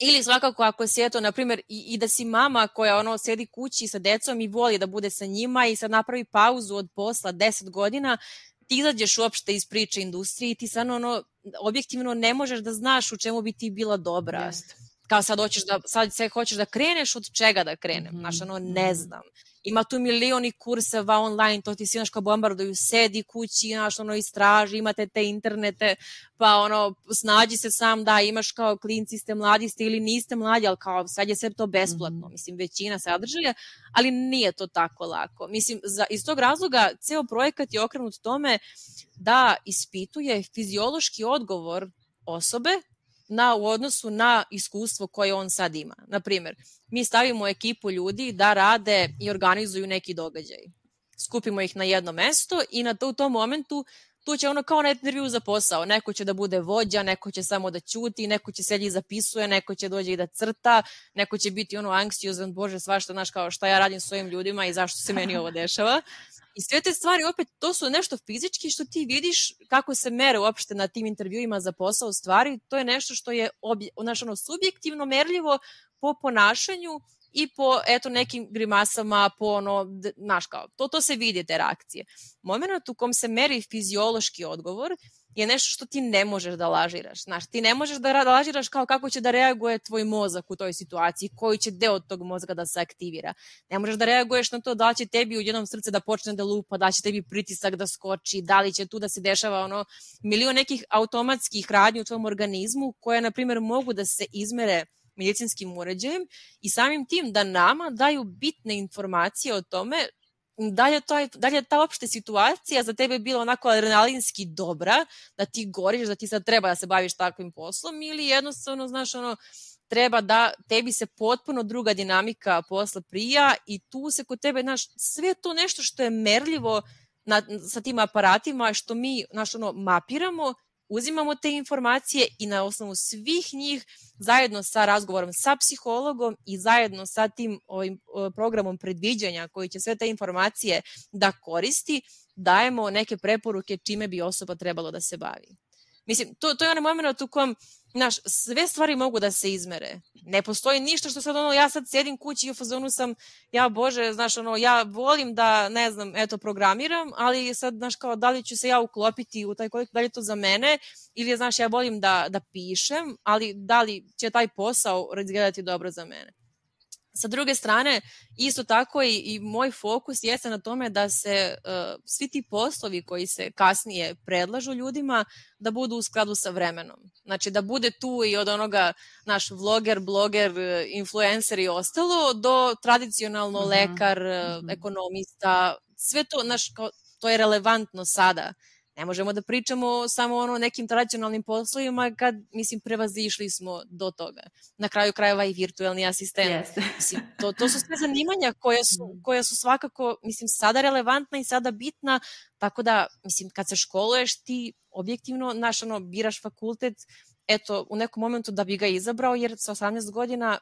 Ili svakako ako si, eto, na primjer, i, i da si mama koja ono sedi kući sa decom i voli da bude sa njima i sad napravi pauzu od posla deset godina, ti izađeš uopšte iz priče industrije i ti sad ono, objektivno ne možeš da znaš u čemu bi ti bila dobra. Jeste. Kao sad hoćeš da, sad sve hoćeš da kreneš, od čega da krenem, mm-hmm. znaš, ono, ne znam. Ima tu milioni kurseva online, to ti si, znaš, kao bombarduju, sedi kući, znaš, ono, istraži, imate te internete, pa ono, snađi se sam, da, imaš kao klinci ste, mladi ste ili niste mladi, ali kao sad je sve to besplatno, mm-hmm. mislim, većina sadržaja, ali nije to tako lako. Mislim, za, iz tog razloga, ceo projekat je okrenut tome da ispituje fiziološki odgovor osobe na, u odnosu na iskustvo koje on sad ima. Naprimjer, mi stavimo ekipu ljudi da rade i organizuju neki događaj. Skupimo ih na jedno mesto i na to, u tom momentu tu će ono kao na intervju za posao. Neko će da bude vođa, neko će samo da ćuti, neko će sedi i zapisuje, neko će dođe i da crta, neko će biti ono anksiozan, bože, svašta, znaš, kao šta ja radim s svojim ljudima i zašto se meni ovo dešava. I sve te stvari, opet, to su nešto fizički što ti vidiš kako se mere uopšte na tim intervjuima za posao stvari. To je nešto što je obje, znaš, ono, subjektivno merljivo po ponašanju i po, eto, nekim grimasama, po ono, znaš, kao, to, to se vidi, te reakcije. Moment u kom se meri fiziološki odgovor je nešto što ti ne možeš da lažiraš. Znaš, ti ne možeš da lažiraš kao kako će da reaguje tvoj mozak u toj situaciji, koji će deo tog mozga da se aktivira. Ne možeš da reaguješ na to da li će tebi u jednom srce da počne da lupa, da li će tebi pritisak da skoči, da li će tu da se dešava ono milion nekih automatskih radnji u tvom organizmu koje, na primjer, mogu da se izmere medicinskim uređajem i samim tim da nama daju bitne informacije o tome da li je, to, da li je ta opšte situacija za tebe bila onako adrenalinski dobra, da ti goriš, da ti sad treba da se baviš takvim poslom ili jednostavno, znaš, ono, treba da tebi se potpuno druga dinamika posla prija i tu se kod tebe, znaš, sve to nešto što je merljivo na, sa tim aparatima, što mi, znaš, ono, mapiramo, uzimamo te informacije i na osnovu svih njih zajedno sa razgovorom sa psihologom i zajedno sa tim ovim programom predviđanja koji će sve te informacije da koristi, dajemo neke preporuke čime bi osoba trebalo da se bavi. Mislim, to, to je onaj moment u kojem, znaš, sve stvari mogu da se izmere. Ne postoji ništa što sad ono, ja sad sedim kući i u fazonu sam, ja bože, znaš, ono, ja volim da, ne znam, eto, programiram, ali sad, znaš, kao, da li ću se ja uklopiti u taj kolik, da li je to za mene, ili, znaš, ja volim da, da pišem, ali da li će taj posao izgledati dobro za mene. Sa druge strane, isto tako i, i moj fokus jeste na tome da se uh, svi ti poslovi koji se kasnije predlažu ljudima da budu u skladu sa vremenom. Znači da bude tu i od onoga naš vloger, bloger, influencer i ostalo do tradicionalno uh-huh. lekar, uh-huh. ekonomista, sve to, naš, to je relevantno sada. Ne možemo da pričamo samo o nekim tradicionalnim poslovima kad, mislim, prevazišli smo do toga. Na kraju krajeva i virtuelni asistent. Yes. Mislim, to, to su sve zanimanja koja su, koja su svakako, mislim, sada relevantna i sada bitna, tako da, mislim, kad se školuješ ti objektivno, znaš, ono, biraš fakultet, eto, u nekom momentu da bi ga izabrao, jer sa osamnaest godina,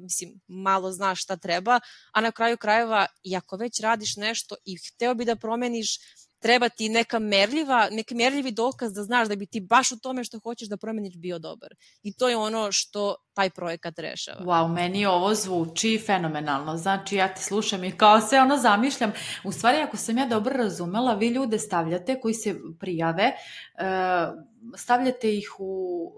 mislim, malo znaš šta treba, a na kraju krajeva, i ako već radiš nešto i hteo bi da promeniš, treba ti neka merljiva, neki merljivi dokaz da znaš da bi ti baš u tome što hoćeš da promeniš bio dobar. I to je ono što taj projekat rešava. Wow, meni ovo zvuči fenomenalno. Znači, ja te slušam i kao se ono zamišljam. U stvari, ako sam ja dobro razumela, vi ljude stavljate koji se prijave, stavljate ih u,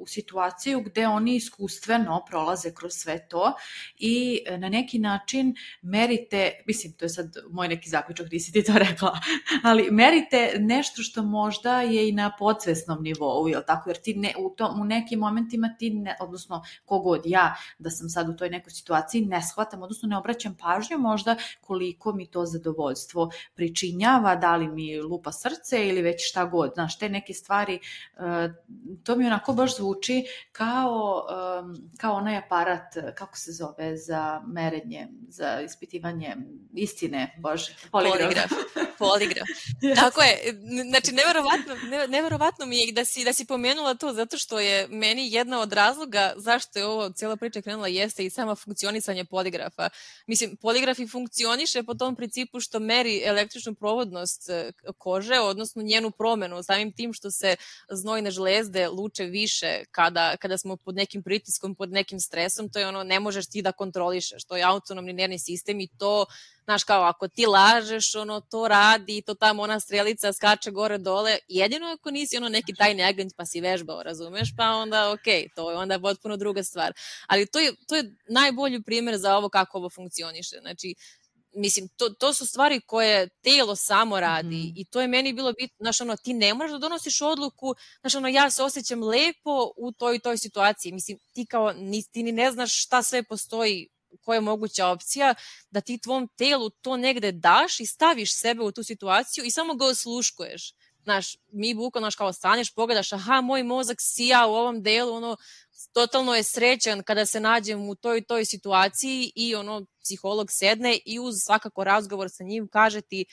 u situaciju gde oni iskustveno prolaze kroz sve to i na neki način merite, mislim, to je sad moj neki zaključak, nisi ti to rekla, ali merite nešto što možda je i na podsvesnom nivou, jel tako? Jer ti ne, u, tom, u nekim momentima ti, ne, odnosno kogod ja, da sam sad u toj nekoj situaciji, ne shvatam, odnosno ne obraćam pažnju možda koliko mi to zadovoljstvo pričinjava, da li mi lupa srce ili već šta god, znaš, te neke stvari. To mi onako baš zvuči kao, kao onaj aparat, kako se zove, za merenje, za ispitivanje istine, bože, poligraf. Poligraf, poligraf. Yes. Tako je, znači neverovatno, neverovatno mi je da si, da si pomenula to, zato što je meni jedna od razloga zašto je ovo cijela priča krenula jeste i sama funkcionisanje poligrafa. Mislim, poligraf i funkcioniše po tom principu što meri električnu provodnost kože, odnosno njenu promenu, samim tim što se znojne žlezde luče više kada, kada smo pod nekim pritiskom, pod nekim stresom, to je ono, ne možeš ti da kontrolišeš, to je autonomni nervni sistem i to, znaš, kao ako ti lažeš, ono, to radi, to tamo ona strelica skače gore dole, jedino ako nisi ono neki tajni agent pa si vežbao, razumeš, pa onda okej, okay, to je onda potpuno druga stvar. Ali to je, to je najbolji primjer za ovo kako ovo funkcioniše, znači, mislim, to, to su stvari koje telo samo radi mm-hmm. i to je meni bilo bitno, znaš, ono, ti ne moraš da donosiš odluku, znaš, ono, ja se osjećam lepo u toj toj situaciji, mislim, ti kao, ni, ti ni ne znaš šta sve postoji, koja je moguća opcija, da ti tvom telu to negde daš i staviš sebe u tu situaciju i samo ga osluškuješ. Znaš, mi bukvalno, znaš, kao staneš, pogledaš, aha, moj mozak sija u ovom delu, ono, totalno je srećan kada se nađem u toj toj situaciji i ono, psiholog sedne i uz svakako razgovor sa njim kaže ti,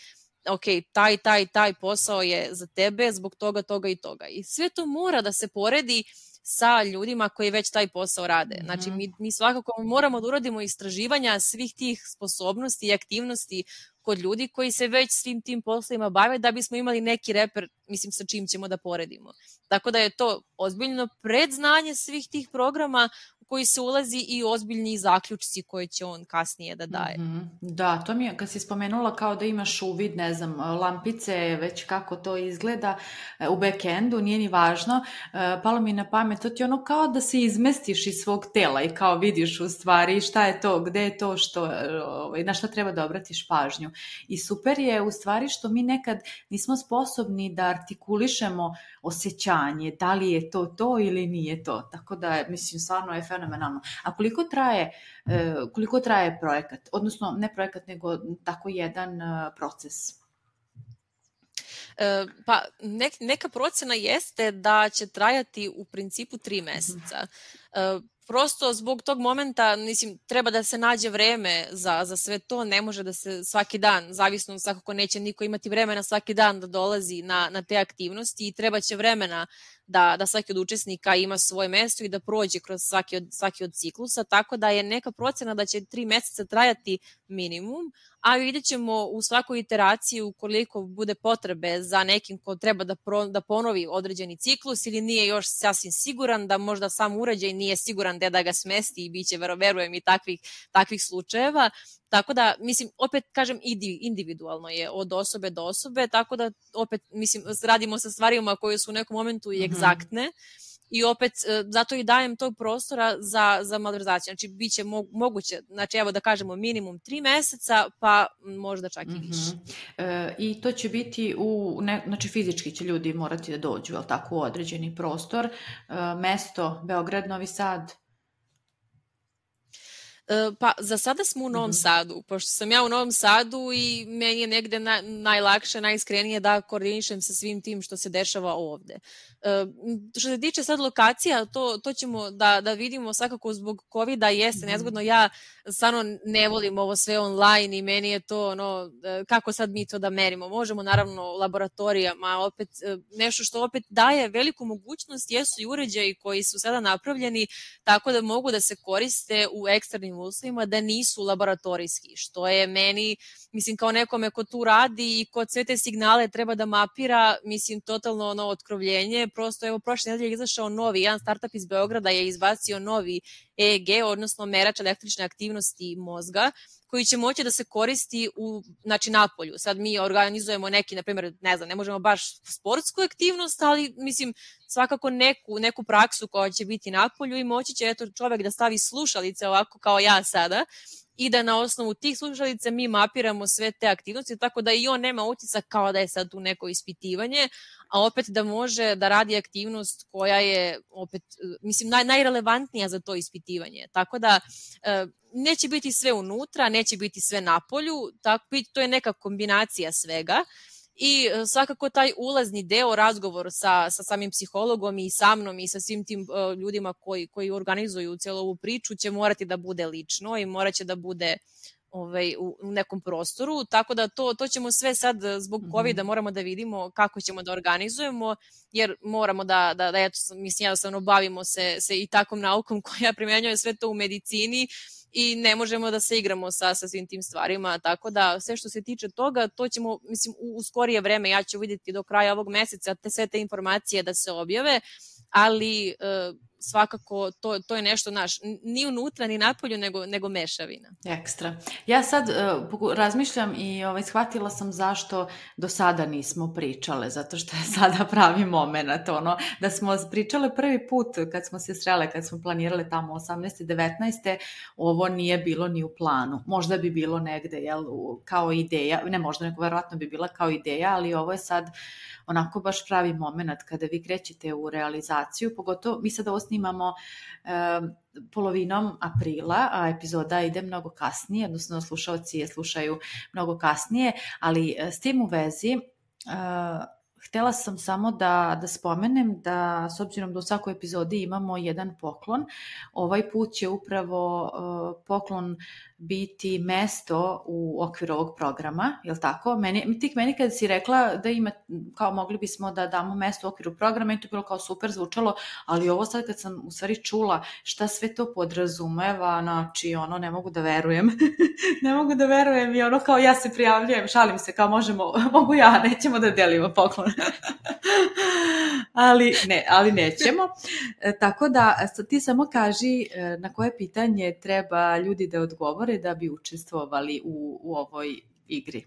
ok, taj, taj, taj posao je za tebe zbog toga, toga i toga. I sve to mora da se poredi sa ljudima koji već taj posao rade. Znači, mi, mi svakako moramo da uradimo istraživanja svih tih sposobnosti i aktivnosti kod ljudi koji se već svim tim poslovima bave da bismo imali neki reper, mislim, sa čim ćemo da poredimo. Tako da je to ozbiljno predznanje svih tih programa u koji se ulazi i ozbiljni zaključci koje će on kasnije da daje. Mm-hmm. Da, to mi je, kad si spomenula kao da imaš uvid, ne znam, lampice, već kako to izgleda u backendu, nije ni važno, palo mi na pamet, to ti ono kao da se izmestiš iz svog tela i kao vidiš u stvari šta je to, gde je to, što, na šta treba da obratiš pažnju. I super je u stvari što mi nekad nismo sposobni da artikulišemo osjećanje, da li je to to ili nije to. Tako da, mislim, stvarno je fenomenalno. A koliko traje, koliko traje projekat? Odnosno, ne projekat, nego tako jedan proces? Pa, nek, neka procena jeste da će trajati u principu tri meseca. Mm-hmm. Prosto zbog tog momenta, mislim, treba da se nađe vreme za, za sve to, ne može da se svaki dan, zavisno svakako neće niko imati vremena svaki dan da dolazi na, na te aktivnosti i treba će vremena da, da svaki od učesnika ima svoje mesto i da prođe kroz svaki od, svaki od ciklusa, tako da je neka procena da će tri meseca trajati minimum, a vidjet ćemo u svakoj iteraciji ukoliko bude potrebe za nekim ko treba da, pro, da ponovi određeni ciklus ili nije još sasvim siguran, da možda sam uređaj nije siguran gde da ga smesti i bit će, verujem, i takvih, takvih slučajeva. Tako da, mislim, opet kažem, individualno je od osobe do osobe, tako da opet, mislim, radimo sa stvarima koje su u nekom momentu i egzaktne. Mm-hmm. I opet, zato i dajem tog prostora za, za malverzaciju. Znači, bit će mo- moguće, znači, evo da kažemo minimum tri meseca, pa možda čak i više. Mm-hmm. E, I to će biti, u, ne, znači fizički će ljudi morati da dođu, jel tako, u određeni prostor. E, mesto, Beograd, Novi Sad? Pa za sada smo u Novom mm-hmm. Sadu, pošto sam ja u Novom Sadu i meni je negde na, najlakše, najiskrenije da koordinišem sa svim tim što se dešava ovde. Uh, što se tiče sad lokacija, to, to ćemo da, da vidimo svakako zbog covida jeste mm-hmm. nezgodno. Ja stvarno ne volim ovo sve online i meni je to ono, kako sad mi to da merimo. Možemo naravno laboratorijama, opet nešto što opet daje veliku mogućnost jesu i uređaji koji su sada napravljeni tako da mogu da se koriste u eksternim nekim uslovima da nisu laboratorijski, što je meni, mislim, kao nekome ko tu radi i ko sve te signale treba da mapira, mislim, totalno ono otkrovljenje. Prosto, evo, prošle nedelje je izašao novi, jedan startup iz Beograda je izbacio novi E E G, odnosno merač električne aktivnosti mozga, koji će moći da se koristi u, znači, napolju. Sad mi organizujemo neki, na primjer, ne znam, ne možemo baš sportsku aktivnost, ali, mislim, svakako neku, neku praksu koja će biti napolju i moći će, eto, čovek da stavi slušalice ovako kao ja sada i da na osnovu tih slušalica mi mapiramo sve te aktivnosti, tako da i on nema utisak kao da je sad tu neko ispitivanje, a opet da može da radi aktivnost koja je, opet, mislim, naj, najrelevantnija za to ispitivanje. Tako da neće biti sve unutra, neće biti sve napolju, tako, to je neka kombinacija svega. I svakako taj ulazni deo, razgovor sa, sa samim psihologom i sa mnom i sa svim tim uh, ljudima koji, koji organizuju cijelu ovu priču će morati da bude lično i morat će da bude ovaj, u, u nekom prostoru, tako da to, to ćemo sve sad zbog covida moramo da vidimo kako ćemo da organizujemo, jer moramo da, da, da eto, mislim, jednostavno bavimo se, se i takvom naukom koja primenjuje sve to u medicini i ne možemo da se igramo sa, sa svim tim stvarima, tako da sve što se tiče toga, to ćemo, mislim, u, u skorije vreme, ja ću vidjeti do kraja ovog meseca te sve te informacije da se objave, ali e, svakako to, to je nešto naš, ni unutra, ni napolju, nego, nego mešavina. Ekstra. Ja sad uh, razmišljam i ovaj, shvatila sam zašto do sada nismo pričale, zato što je sada pravi moment, ono, da smo pričale prvi put kad smo se srele, kad smo planirale tamo osamnaeste devetnaeste ovo nije bilo ni u planu. Možda bi bilo negde, jel, kao ideja, ne možda, nego verovatno bi bila kao ideja, ali ovo je sad onako baš pravi moment kada vi krećete u realizaciju, pogotovo mi sad ovo snimamo e, polovinom aprila, a epizoda ide mnogo kasnije, odnosno slušalci je slušaju mnogo kasnije, ali s tim u vezi e, htela sam samo da, da spomenem da s obzirom da u svakoj epizodi imamo jedan poklon, ovaj put će upravo uh, poklon biti mesto u okviru ovog programa, je li tako? Meni, ti meni kada si rekla da ima, kao mogli bismo da damo mesto u okviru programa, i to je bilo kao super zvučalo, ali ovo sad kad sam u stvari čula šta sve to podrazumeva, znači ono ne mogu da verujem, ne mogu da verujem i ono kao ja se prijavljujem, šalim se, kao možemo, mogu ja, nećemo da delimo poklon. ali ne, ali nećemo. E, tako da ti samo kaži e, na koje pitanje treba ljudi da odgovore da bi učestvovali u, u ovoj igri.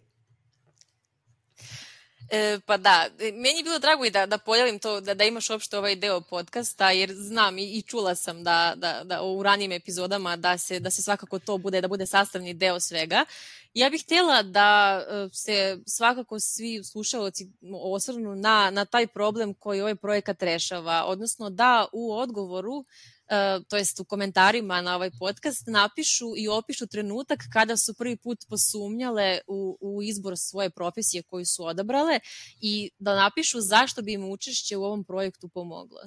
E, pa da, meni je bilo drago i da, da pojavim to, da, da imaš uopšte ovaj deo podcasta, jer znam i, i čula sam da, da, da u ranijim epizodama da se, da se svakako to bude, da bude sastavni deo svega. Ja bih htjela da se svakako svi slušalci osvrnu na, na taj problem koji ovaj projekat rešava, odnosno da u odgovoru, to jest u komentarima na ovaj podcast, napišu i opišu trenutak kada su prvi put posumnjale u, u izbor svoje profesije koju su odabrale i da napišu zašto bi im učešće u ovom projektu pomoglo.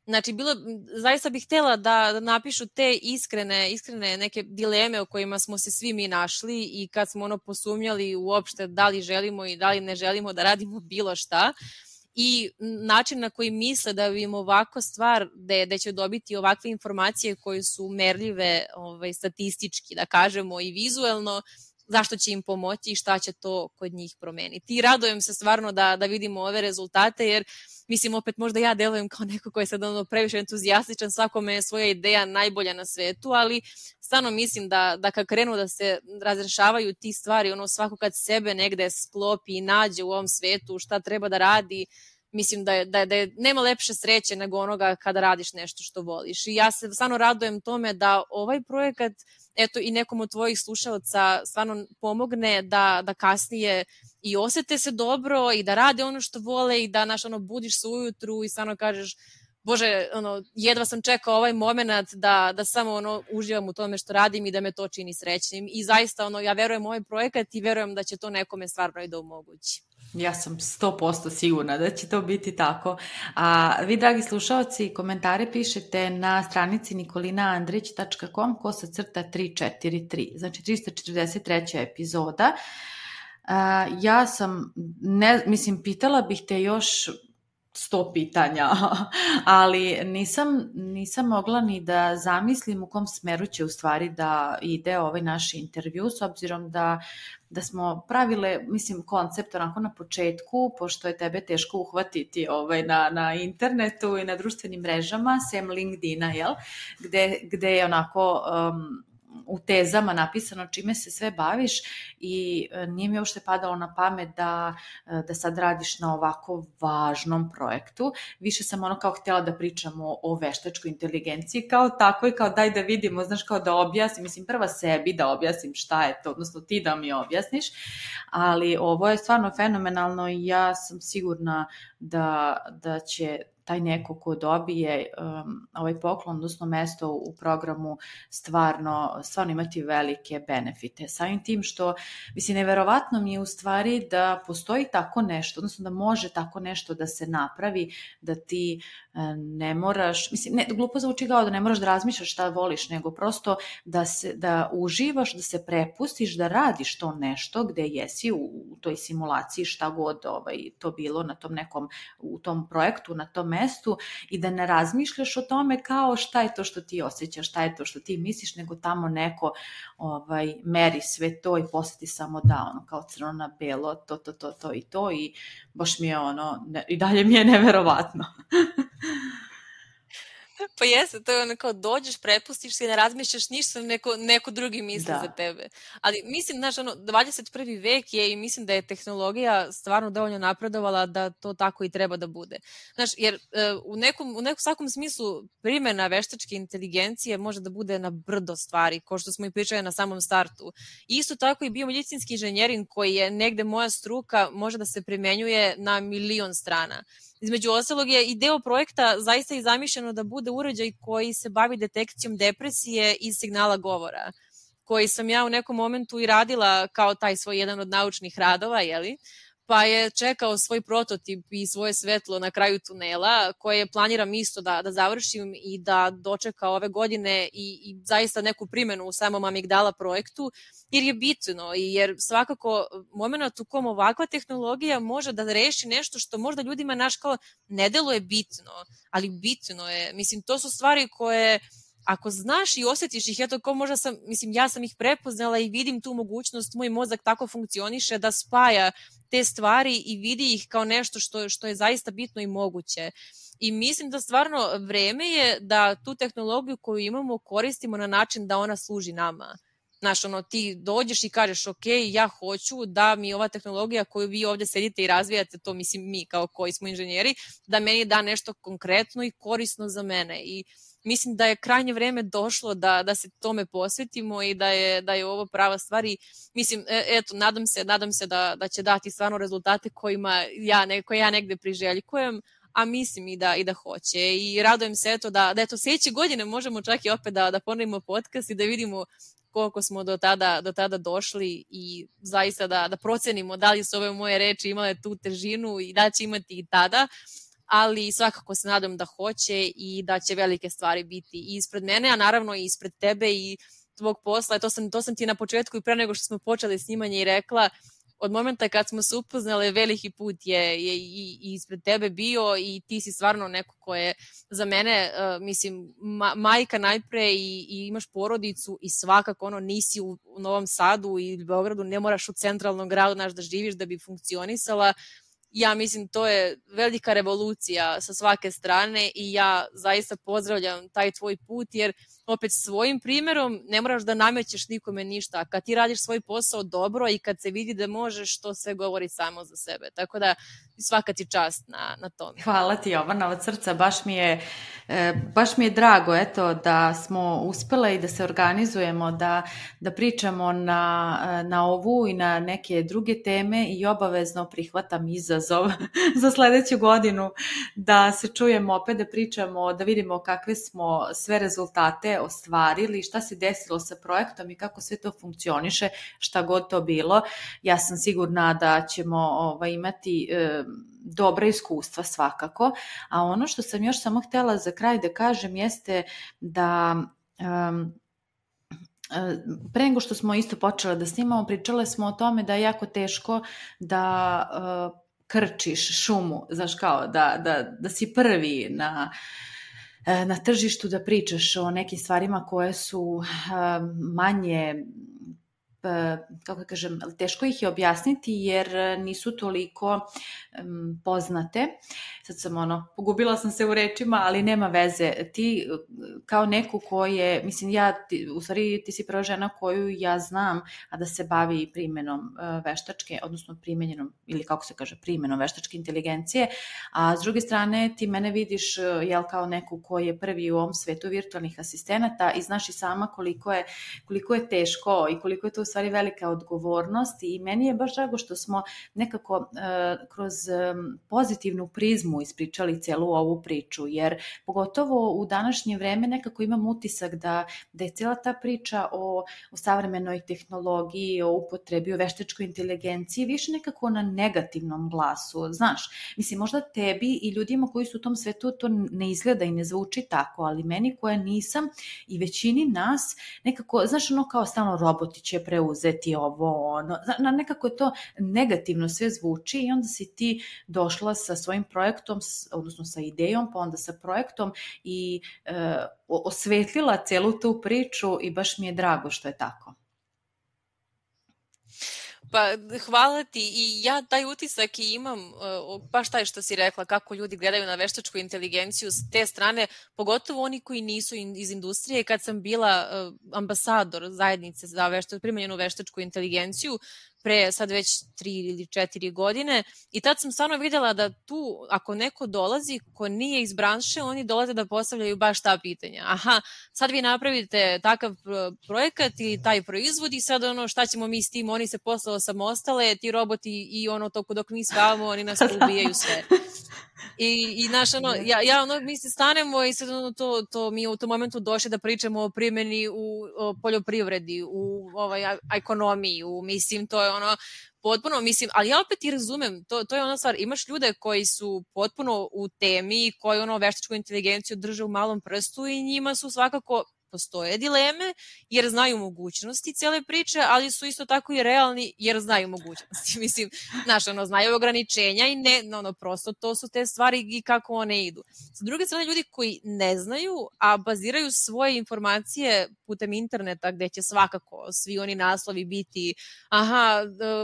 Znači, bilo, zaista bih htjela da, da napišu te iskrene, iskrene neke dileme o kojima smo se svi mi našli i kad smo ono posumnjali uopšte da li želimo i da li ne želimo da radimo bilo šta i način na koji misle da bi im ovako stvar, da, da će dobiti ovakve informacije koje su merljive ovaj, statistički, da kažemo, i vizuelno, zašto će im pomoći i šta će to kod njih promeniti. I radujem se stvarno da, da vidimo ove rezultate, jer mislim, opet možda ja delujem kao neko koji je sad ono previše entuzijastičan, svakome je svoja ideja najbolja na svetu, ali stvarno mislim da, da kad krenu da se razrešavaju ti stvari, ono svako kad sebe negde sklopi i nađe u ovom svetu šta treba da radi, mislim da, je, da, je, da je, nema lepše sreće nego onoga kada radiš nešto što voliš. I ja se stvarno radujem tome da ovaj projekat, eto i nekom od tvojih slušalaca stvarno pomogne da, da kasnije i osete se dobro i da rade ono što vole i da naš, ono, budiš se ujutru i stvarno kažeš Bože, ono, jedva sam čekao ovaj moment da, da samo ono, uživam u tome što radim i da me to čini srećnim. I zaista ono, ja verujem u ovaj projekat i verujem da će to nekome stvarno i da omogući. Ja sam sto posto sigurna da će to biti tako. A vi, dragi slušalci, komentare pišete na stranici nikolina andrić tačka com kosa crta tri četiri tri, znači trista četrdeset treća epizoda. A, ja sam, ne, mislim, pitala bih te još sto pitanja, ali nisam, nisam mogla ni da zamislim u kom smeru će u stvari da ide ovaj naš intervju, s obzirom da da smo pravile, mislim, koncept onako na početku, pošto je tebe teško uhvatiti ovaj, na, na internetu i na društvenim mrežama, sem LinkedIna, jel? Gde, gde je onako um, u tezama napisano čime se sve baviš i nije mi uopšte padalo na pamet da, da sad radiš na ovako važnom projektu. Više sam ono kao htjela da pričamo o veštačkoj inteligenciji kao tako i kao daj da vidimo, znaš, kao da objasnim, mislim prva sebi da objasnim šta je to, odnosno ti da mi objasniš, ali ovo je stvarno fenomenalno i ja sam sigurna da, da će taj neko ko dobije um, ovaj poklon, odnosno mesto u programu, stvarno, stvarno imati velike benefite. Samim tim što, mislim, neverovatno mi je u stvari da postoji tako nešto, odnosno da može tako nešto da se napravi, da ti ne moraš, mislim, ne, glupo zvuči kao da ne moraš da razmišljaš šta voliš, nego prosto da, se, da uživaš, da se prepustiš, da radiš to nešto gde jesi u, u toj simulaciji, šta god ovaj, to bilo na tom nekom, u tom projektu, na tom mestu, i da ne razmišljaš o tome kao šta je to što ti osjećaš, šta je to što ti misliš, nego tamo neko ovaj, meri sve to i posjeti samo da, ono, kao crno na belo, to, to, to, to i to, i baš mi je ono, ne, i dalje mi je neverovatno. Pa jeste, to je ono kao dođeš, prepustiš se i ne razmišljaš ništa, neko, neko drugi misli da. za tebe. Ali mislim, znaš, ono, dvadeset prvi vek je i mislim da je tehnologija stvarno dovoljno napredovala da to tako i treba da bude. Znaš, jer u nekom, u nekom svakom smislu primjena veštačke inteligencije može da bude na brdo stvari, kao što smo i pričali na samom startu. Isto tako i biomedicinski inženjering, koji je negde moja struka, može da se primenjuje na milion strana. Između ostalog je i deo projekta zaista i zamišljeno da bude uređaj koji se bavi detekcijom depresije iz signala govora, koji sam ja u nekom momentu i radila kao taj svoj jedan od naučnih radova, jeli? Pa je čekao svoj prototip i svoje svetlo na kraju tunela, koje planiram isto da, da završim i da dočeka ove godine i, i zaista neku primjenu u samom Amigdala projektu, jer je bitno i jer svakako moment u kom ovakva tehnologija može da reši nešto što možda ljudima naš kao ne deluje bitno, ali bitno je. Mislim, to su stvari koje ako znaš i osjetiš ih, eto kao možda sam, mislim, ja sam ih prepoznala i vidim tu mogućnost, moj mozak tako funkcioniše da spaja te stvari i vidi ih kao nešto što, što je zaista bitno i moguće. I mislim da stvarno vreme je da tu tehnologiju koju imamo koristimo na način da ona služi nama. Znaš, ono, ti dođeš i kažeš, ok, ja hoću da mi ova tehnologija koju vi ovdje sedite i razvijate, to mislim mi kao koji smo inženjeri, da meni da nešto konkretno i korisno za mene. I mislim da je krajnje vreme došlo da, da se tome posvetimo i da je, da je ovo prava stvar i mislim, eto, nadam se, nadam se da, da će dati stvarno rezultate kojima ja, ne, koje ja negde priželjkujem, a mislim i da, i da hoće. I radujem se eto da, da eto sljedeće godine možemo čak i opet da, da ponovimo podcast i da vidimo koliko smo do tada, do tada došli i zaista da, da procenimo da li su ove moje reči imale tu težinu i da će imati i tada, ali svakako se nadam da hoće i da će velike stvari biti i ispred mene, a naravno i ispred tebe i tvog posla. To sam, to sam ti na početku i pre nego što smo počeli snimanje i rekla, od momenta kad smo se upoznali, veliki put je, je i, i ispred tebe bio i ti si stvarno neko ko je za mene, uh, mislim, ma, majka najpre i, i imaš porodicu i svakako ono nisi u, u Novom Sadu i Beogradu, ne moraš u centralnom gradu naš da živiš da bi funkcionisala. Ja mislim to je velika revolucija sa svake strane i ja zaista pozdravljam taj tvoj put jer opet svojim primjerom ne moraš da namećeš nikome ništa. Kad ti radiš svoj posao dobro i kad se vidi da možeš, to sve govori samo za sebe. Tako da svaka ti čast na, na tome. Hvala ti, Jovana, od srca. Baš mi je, baš mi je drago eto, da smo uspele i da se organizujemo, da, da pričamo na, na ovu i na neke druge teme i obavezno prihvatam izazov za sljedeću godinu da se čujemo opet, da pričamo, da vidimo kakve smo sve rezultate ostvarili, šta se desilo sa projektom i kako sve to funkcioniše, šta god to bilo. Ja sam sigurna da ćemo ovaj, imati e, dobra iskustva svakako, a ono što sam još samo htjela za kraj da kažem jeste da um, pre nego što smo isto počele da snimamo, pričale smo o tome da je jako teško da uh, krčiš šumu, znaš kao, da, da, da si prvi na, na tržištu, da pričaš o nekim stvarima koje su manje, kako kažem, teško ih je objasniti jer nisu toliko um, poznate. Sad sam ono, pogubila sam se u rečima, ali nema veze. Ti kao neku koje, mislim ja, ti, u stvari ti si prva žena koju ja znam, a da se bavi primjenom uh, veštačke, odnosno primjenjenom, ili kako se kaže, primjenom veštačke inteligencije, a s druge strane ti mene vidiš uh, jel, kao neku koji je prvi u ovom svetu virtualnih asistenata i znaš i sama koliko je, koliko je teško i koliko je to u stvari velika odgovornost i meni je baš drago što smo nekako uh, kroz um, pozitivnu prizmu ispričali celu ovu priču, jer pogotovo u današnje vreme nekako imam utisak da, da je cijela ta priča o, o savremenoj tehnologiji, o upotrebi, o veštačkoj inteligenciji više nekako na negativnom glasu, znaš, mislim možda tebi i ljudima koji su u tom svetu to ne izgleda i ne zvuči tako, ali meni koja nisam i većini nas nekako, znaš ono kao stalno roboti će preuzeti ovo, ono, na, nekako je to negativno sve zvuči i onda si ti došla sa svojim projektom, odnosno sa idejom, pa onda sa projektom i e, osvetlila celu tu priču i baš mi je drago što je tako. Pa hvala ti i ja taj utisak i imam, baš taj što si rekla, kako ljudi gledaju na veštačku inteligenciju s te strane, pogotovo oni koji nisu iz industrije. Kad sam bila ambasador zajednice za vešta, primenjenu veštačku inteligenciju, pre sad već tri ili četiri godine i tad sam stvarno vidjela da tu ako neko dolazi ko nije iz branše, oni dolaze da postavljaju baš ta pitanja. Aha, sad vi napravite takav projekat ili taj proizvod i sad ono šta ćemo mi s tim, oni se posle osamostale, ti roboti i ono toko dok mi spavamo, oni nas ubijaju sve. I, i naš, ono, ja, ja ono, mi se stanemo i sad ono, to, to mi u tom momentu došli da pričamo o primjeni u o poljoprivredi, u ovaj, ekonomiji, u, mislim, to je ono, potpuno, mislim, ali ja opet i razumem, to, to je ona stvar, imaš ljude koji su potpuno u temi, koji ono veštačku inteligenciju drže u malom prstu i njima su svakako postoje dileme jer znaju mogućnosti cijele priče, ali su isto tako i realni jer znaju mogućnosti. Mislim, znaš, ono, znaju ograničenja i ne, ono, prosto to su te stvari i kako one idu. Sa druge strane, ljudi koji ne znaju, a baziraju svoje informacije putem interneta gde će svakako svi oni naslovi biti aha,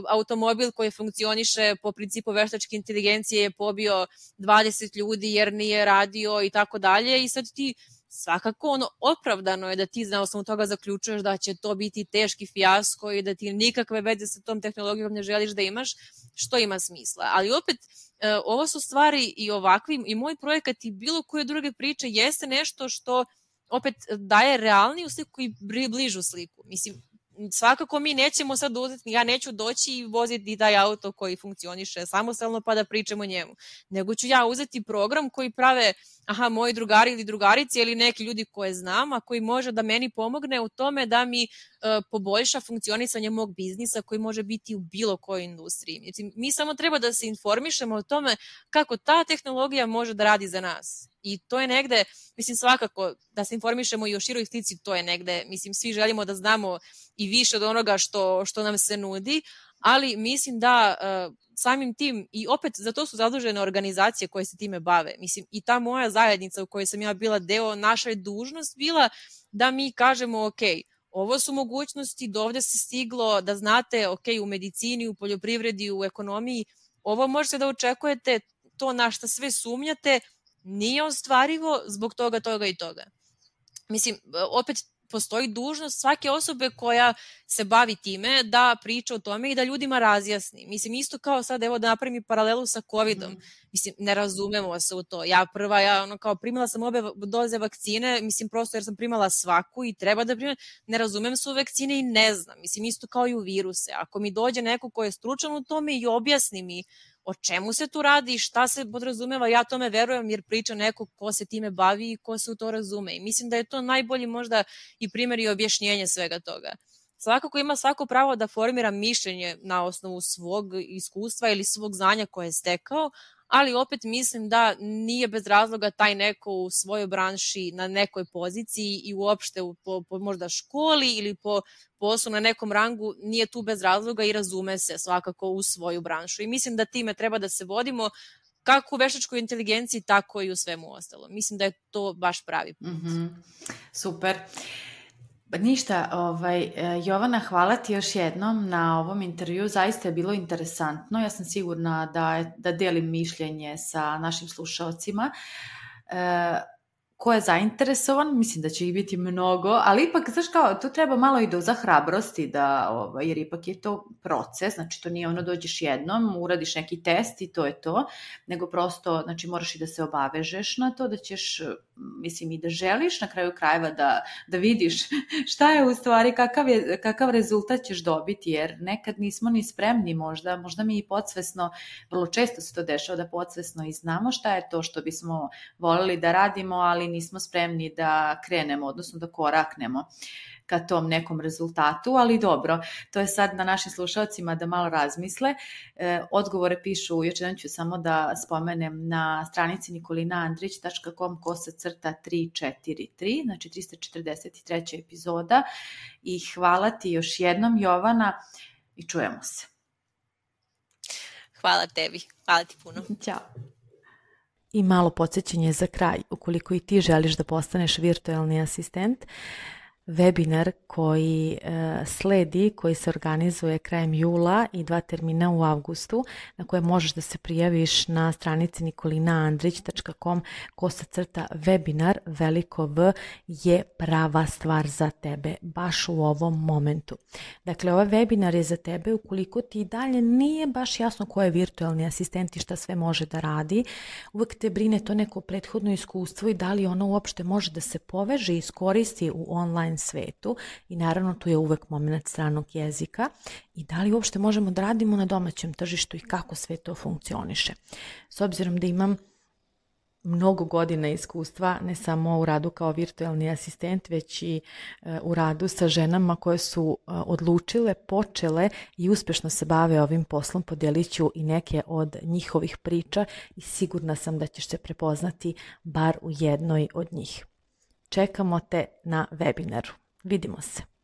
automobil koji funkcioniše po principu veštačke inteligencije je pobio dvadeset ljudi jer nije radio i tako dalje i sad ti svakako ono opravdano je da ti na osnovu toga zaključuješ da će to biti teški fijasko i da ti nikakve veze sa tom tehnologijom ne želiš da imaš, što ima smisla. Ali opet, e, ovo su stvari i ovakvi, i moj projekat i bilo koje druge priče jeste nešto što opet daje realniju sliku i bližu sliku. Mislim, svakako mi nećemo sad uzeti, ja neću doći i voziti taj auto koji funkcioniše samostalno pa da pričamo o njemu, nego ću ja uzeti program koji prave aha, moji drugari ili drugarice ili neki ljudi koje znam, a koji može da meni pomogne u tome da mi uh, poboljša funkcionisanje mog biznisa koji može biti u bilo kojoj industriji. Mislim, mi samo treba da se informišemo o tome kako ta tehnologija može da radi za nas. I to je negde, mislim svakako da se informišemo i o široj slici, to je negde, mislim svi želimo da znamo i više od onoga što, što nam se nudi, ali mislim da uh, samim tim, i opet za to su zadužene organizacije koje se time bave, mislim i ta moja zajednica u kojoj sam ja bila deo, naša je dužnost bila da mi kažemo ok, ovo su mogućnosti, do ovde se stiglo, da znate ok, u medicini, u poljoprivredi, u ekonomiji, ovo možete da očekujete, to na šta sve sumnjate, nije ostvarivo zbog toga, toga i toga. Mislim, opet postoji dužnost svake osobe koja se bavi time da priča o tome i da ljudima razjasni. Mislim, isto kao sad, evo da napravim paralelu sa covidom. Mm. Mislim, ne razumemo se u to. Ja prva, ja ono kao primala sam obe doze vakcine, mislim prosto jer sam primala svaku i treba da primam, ne razumem se u vakcine i ne znam. Mislim, isto kao i u viruse. Ako mi dođe neko ko je stručan u tome i objasni mi o čemu se tu radi i šta se podrazumeva, ja tome verujem jer priča neko ko se time bavi i ko se u to razume. I mislim da je to najbolji možda i primjer i objašnjenje svega toga. svakako ima svako pravo da formira mišljenje na osnovu svog iskustva ili svog znanja koje je stekao, ali opet mislim da nije bez razloga taj neko u svojoj branši na nekoj poziciji i uopšte po, po možda školi ili po poslu na nekom rangu, nije tu bez razloga i razume se svakako u svoju branšu. I mislim da time treba da se vodimo kako u veštačkoj inteligenciji, tako i u svemu ostalom. Mislim da je to baš pravi put. Mm-hmm. Super. Ništa, ovaj, Jovana, hvala ti još jednom na ovom intervju, zaista je bilo interesantno, ja sam sigurna da, da delim mišljenje sa našim slušalcima. E, ko je zainteresovan, mislim da će ih biti mnogo, ali ipak, znaš kao, tu treba malo i doza hrabrosti, da, ovaj, jer ipak je to proces, znači to nije ono dođeš jednom, uradiš neki test i to je to, nego prosto, znači moraš i da se obavežeš na to, da ćeš, mislim i da želiš na kraju krajeva da, da vidiš šta je u stvari, kakav, je, kakav rezultat ćeš dobiti, jer nekad nismo ni spremni možda, možda mi i podsvesno, vrlo često se to dešava da podsvesno i znamo šta je to što bismo voljeli da radimo, ali nismo spremni da krenemo, odnosno da koraknemo ka tom nekom rezultatu, ali dobro, to je sad na našim slušalcima da malo razmisle. E, odgovore pišu, još jedan ću samo da spomenem, na stranici nikolina andrić tačka com kosa crta tri četiri tri, znači trista četrdeset treća epizoda, i hvala ti još jednom, Jovana, i čujemo se. Hvala tebi, hvala ti puno. Ćao. I malo podsjećanje za kraj, ukoliko i ti želiš da postaneš virtualni asistent, webinar koji e, sledi, koji se organizuje krajem jula i dva termina u avgustu, na koje možeš da se prijaviš na stranici nikolina andrić tačka com kosa crta webinar, veliko V, je prava stvar za tebe, baš u ovom momentu. Dakle, ovaj webinar je za tebe ukoliko ti i dalje nije baš jasno ko je virtualni asistent i šta sve može da radi, uvek te brine to neko prethodno iskustvo i da li ono uopšte može da se poveže i iskoristi u online svetu, i naravno tu je uvek moment stranog jezika, i da li uopšte možemo da radimo na domaćem tržištu i kako sve to funkcioniše. S obzirom da imam mnogo godina iskustva, ne samo u radu kao virtualni asistent, već i u radu sa ženama koje su odlučile, počele i uspešno se bave ovim poslom, podijelit ću i neke od njihovih priča i sigurna sam da ćeš se prepoznati bar u jednoj od njih. Čekamo te na webinaru. Vidimo se.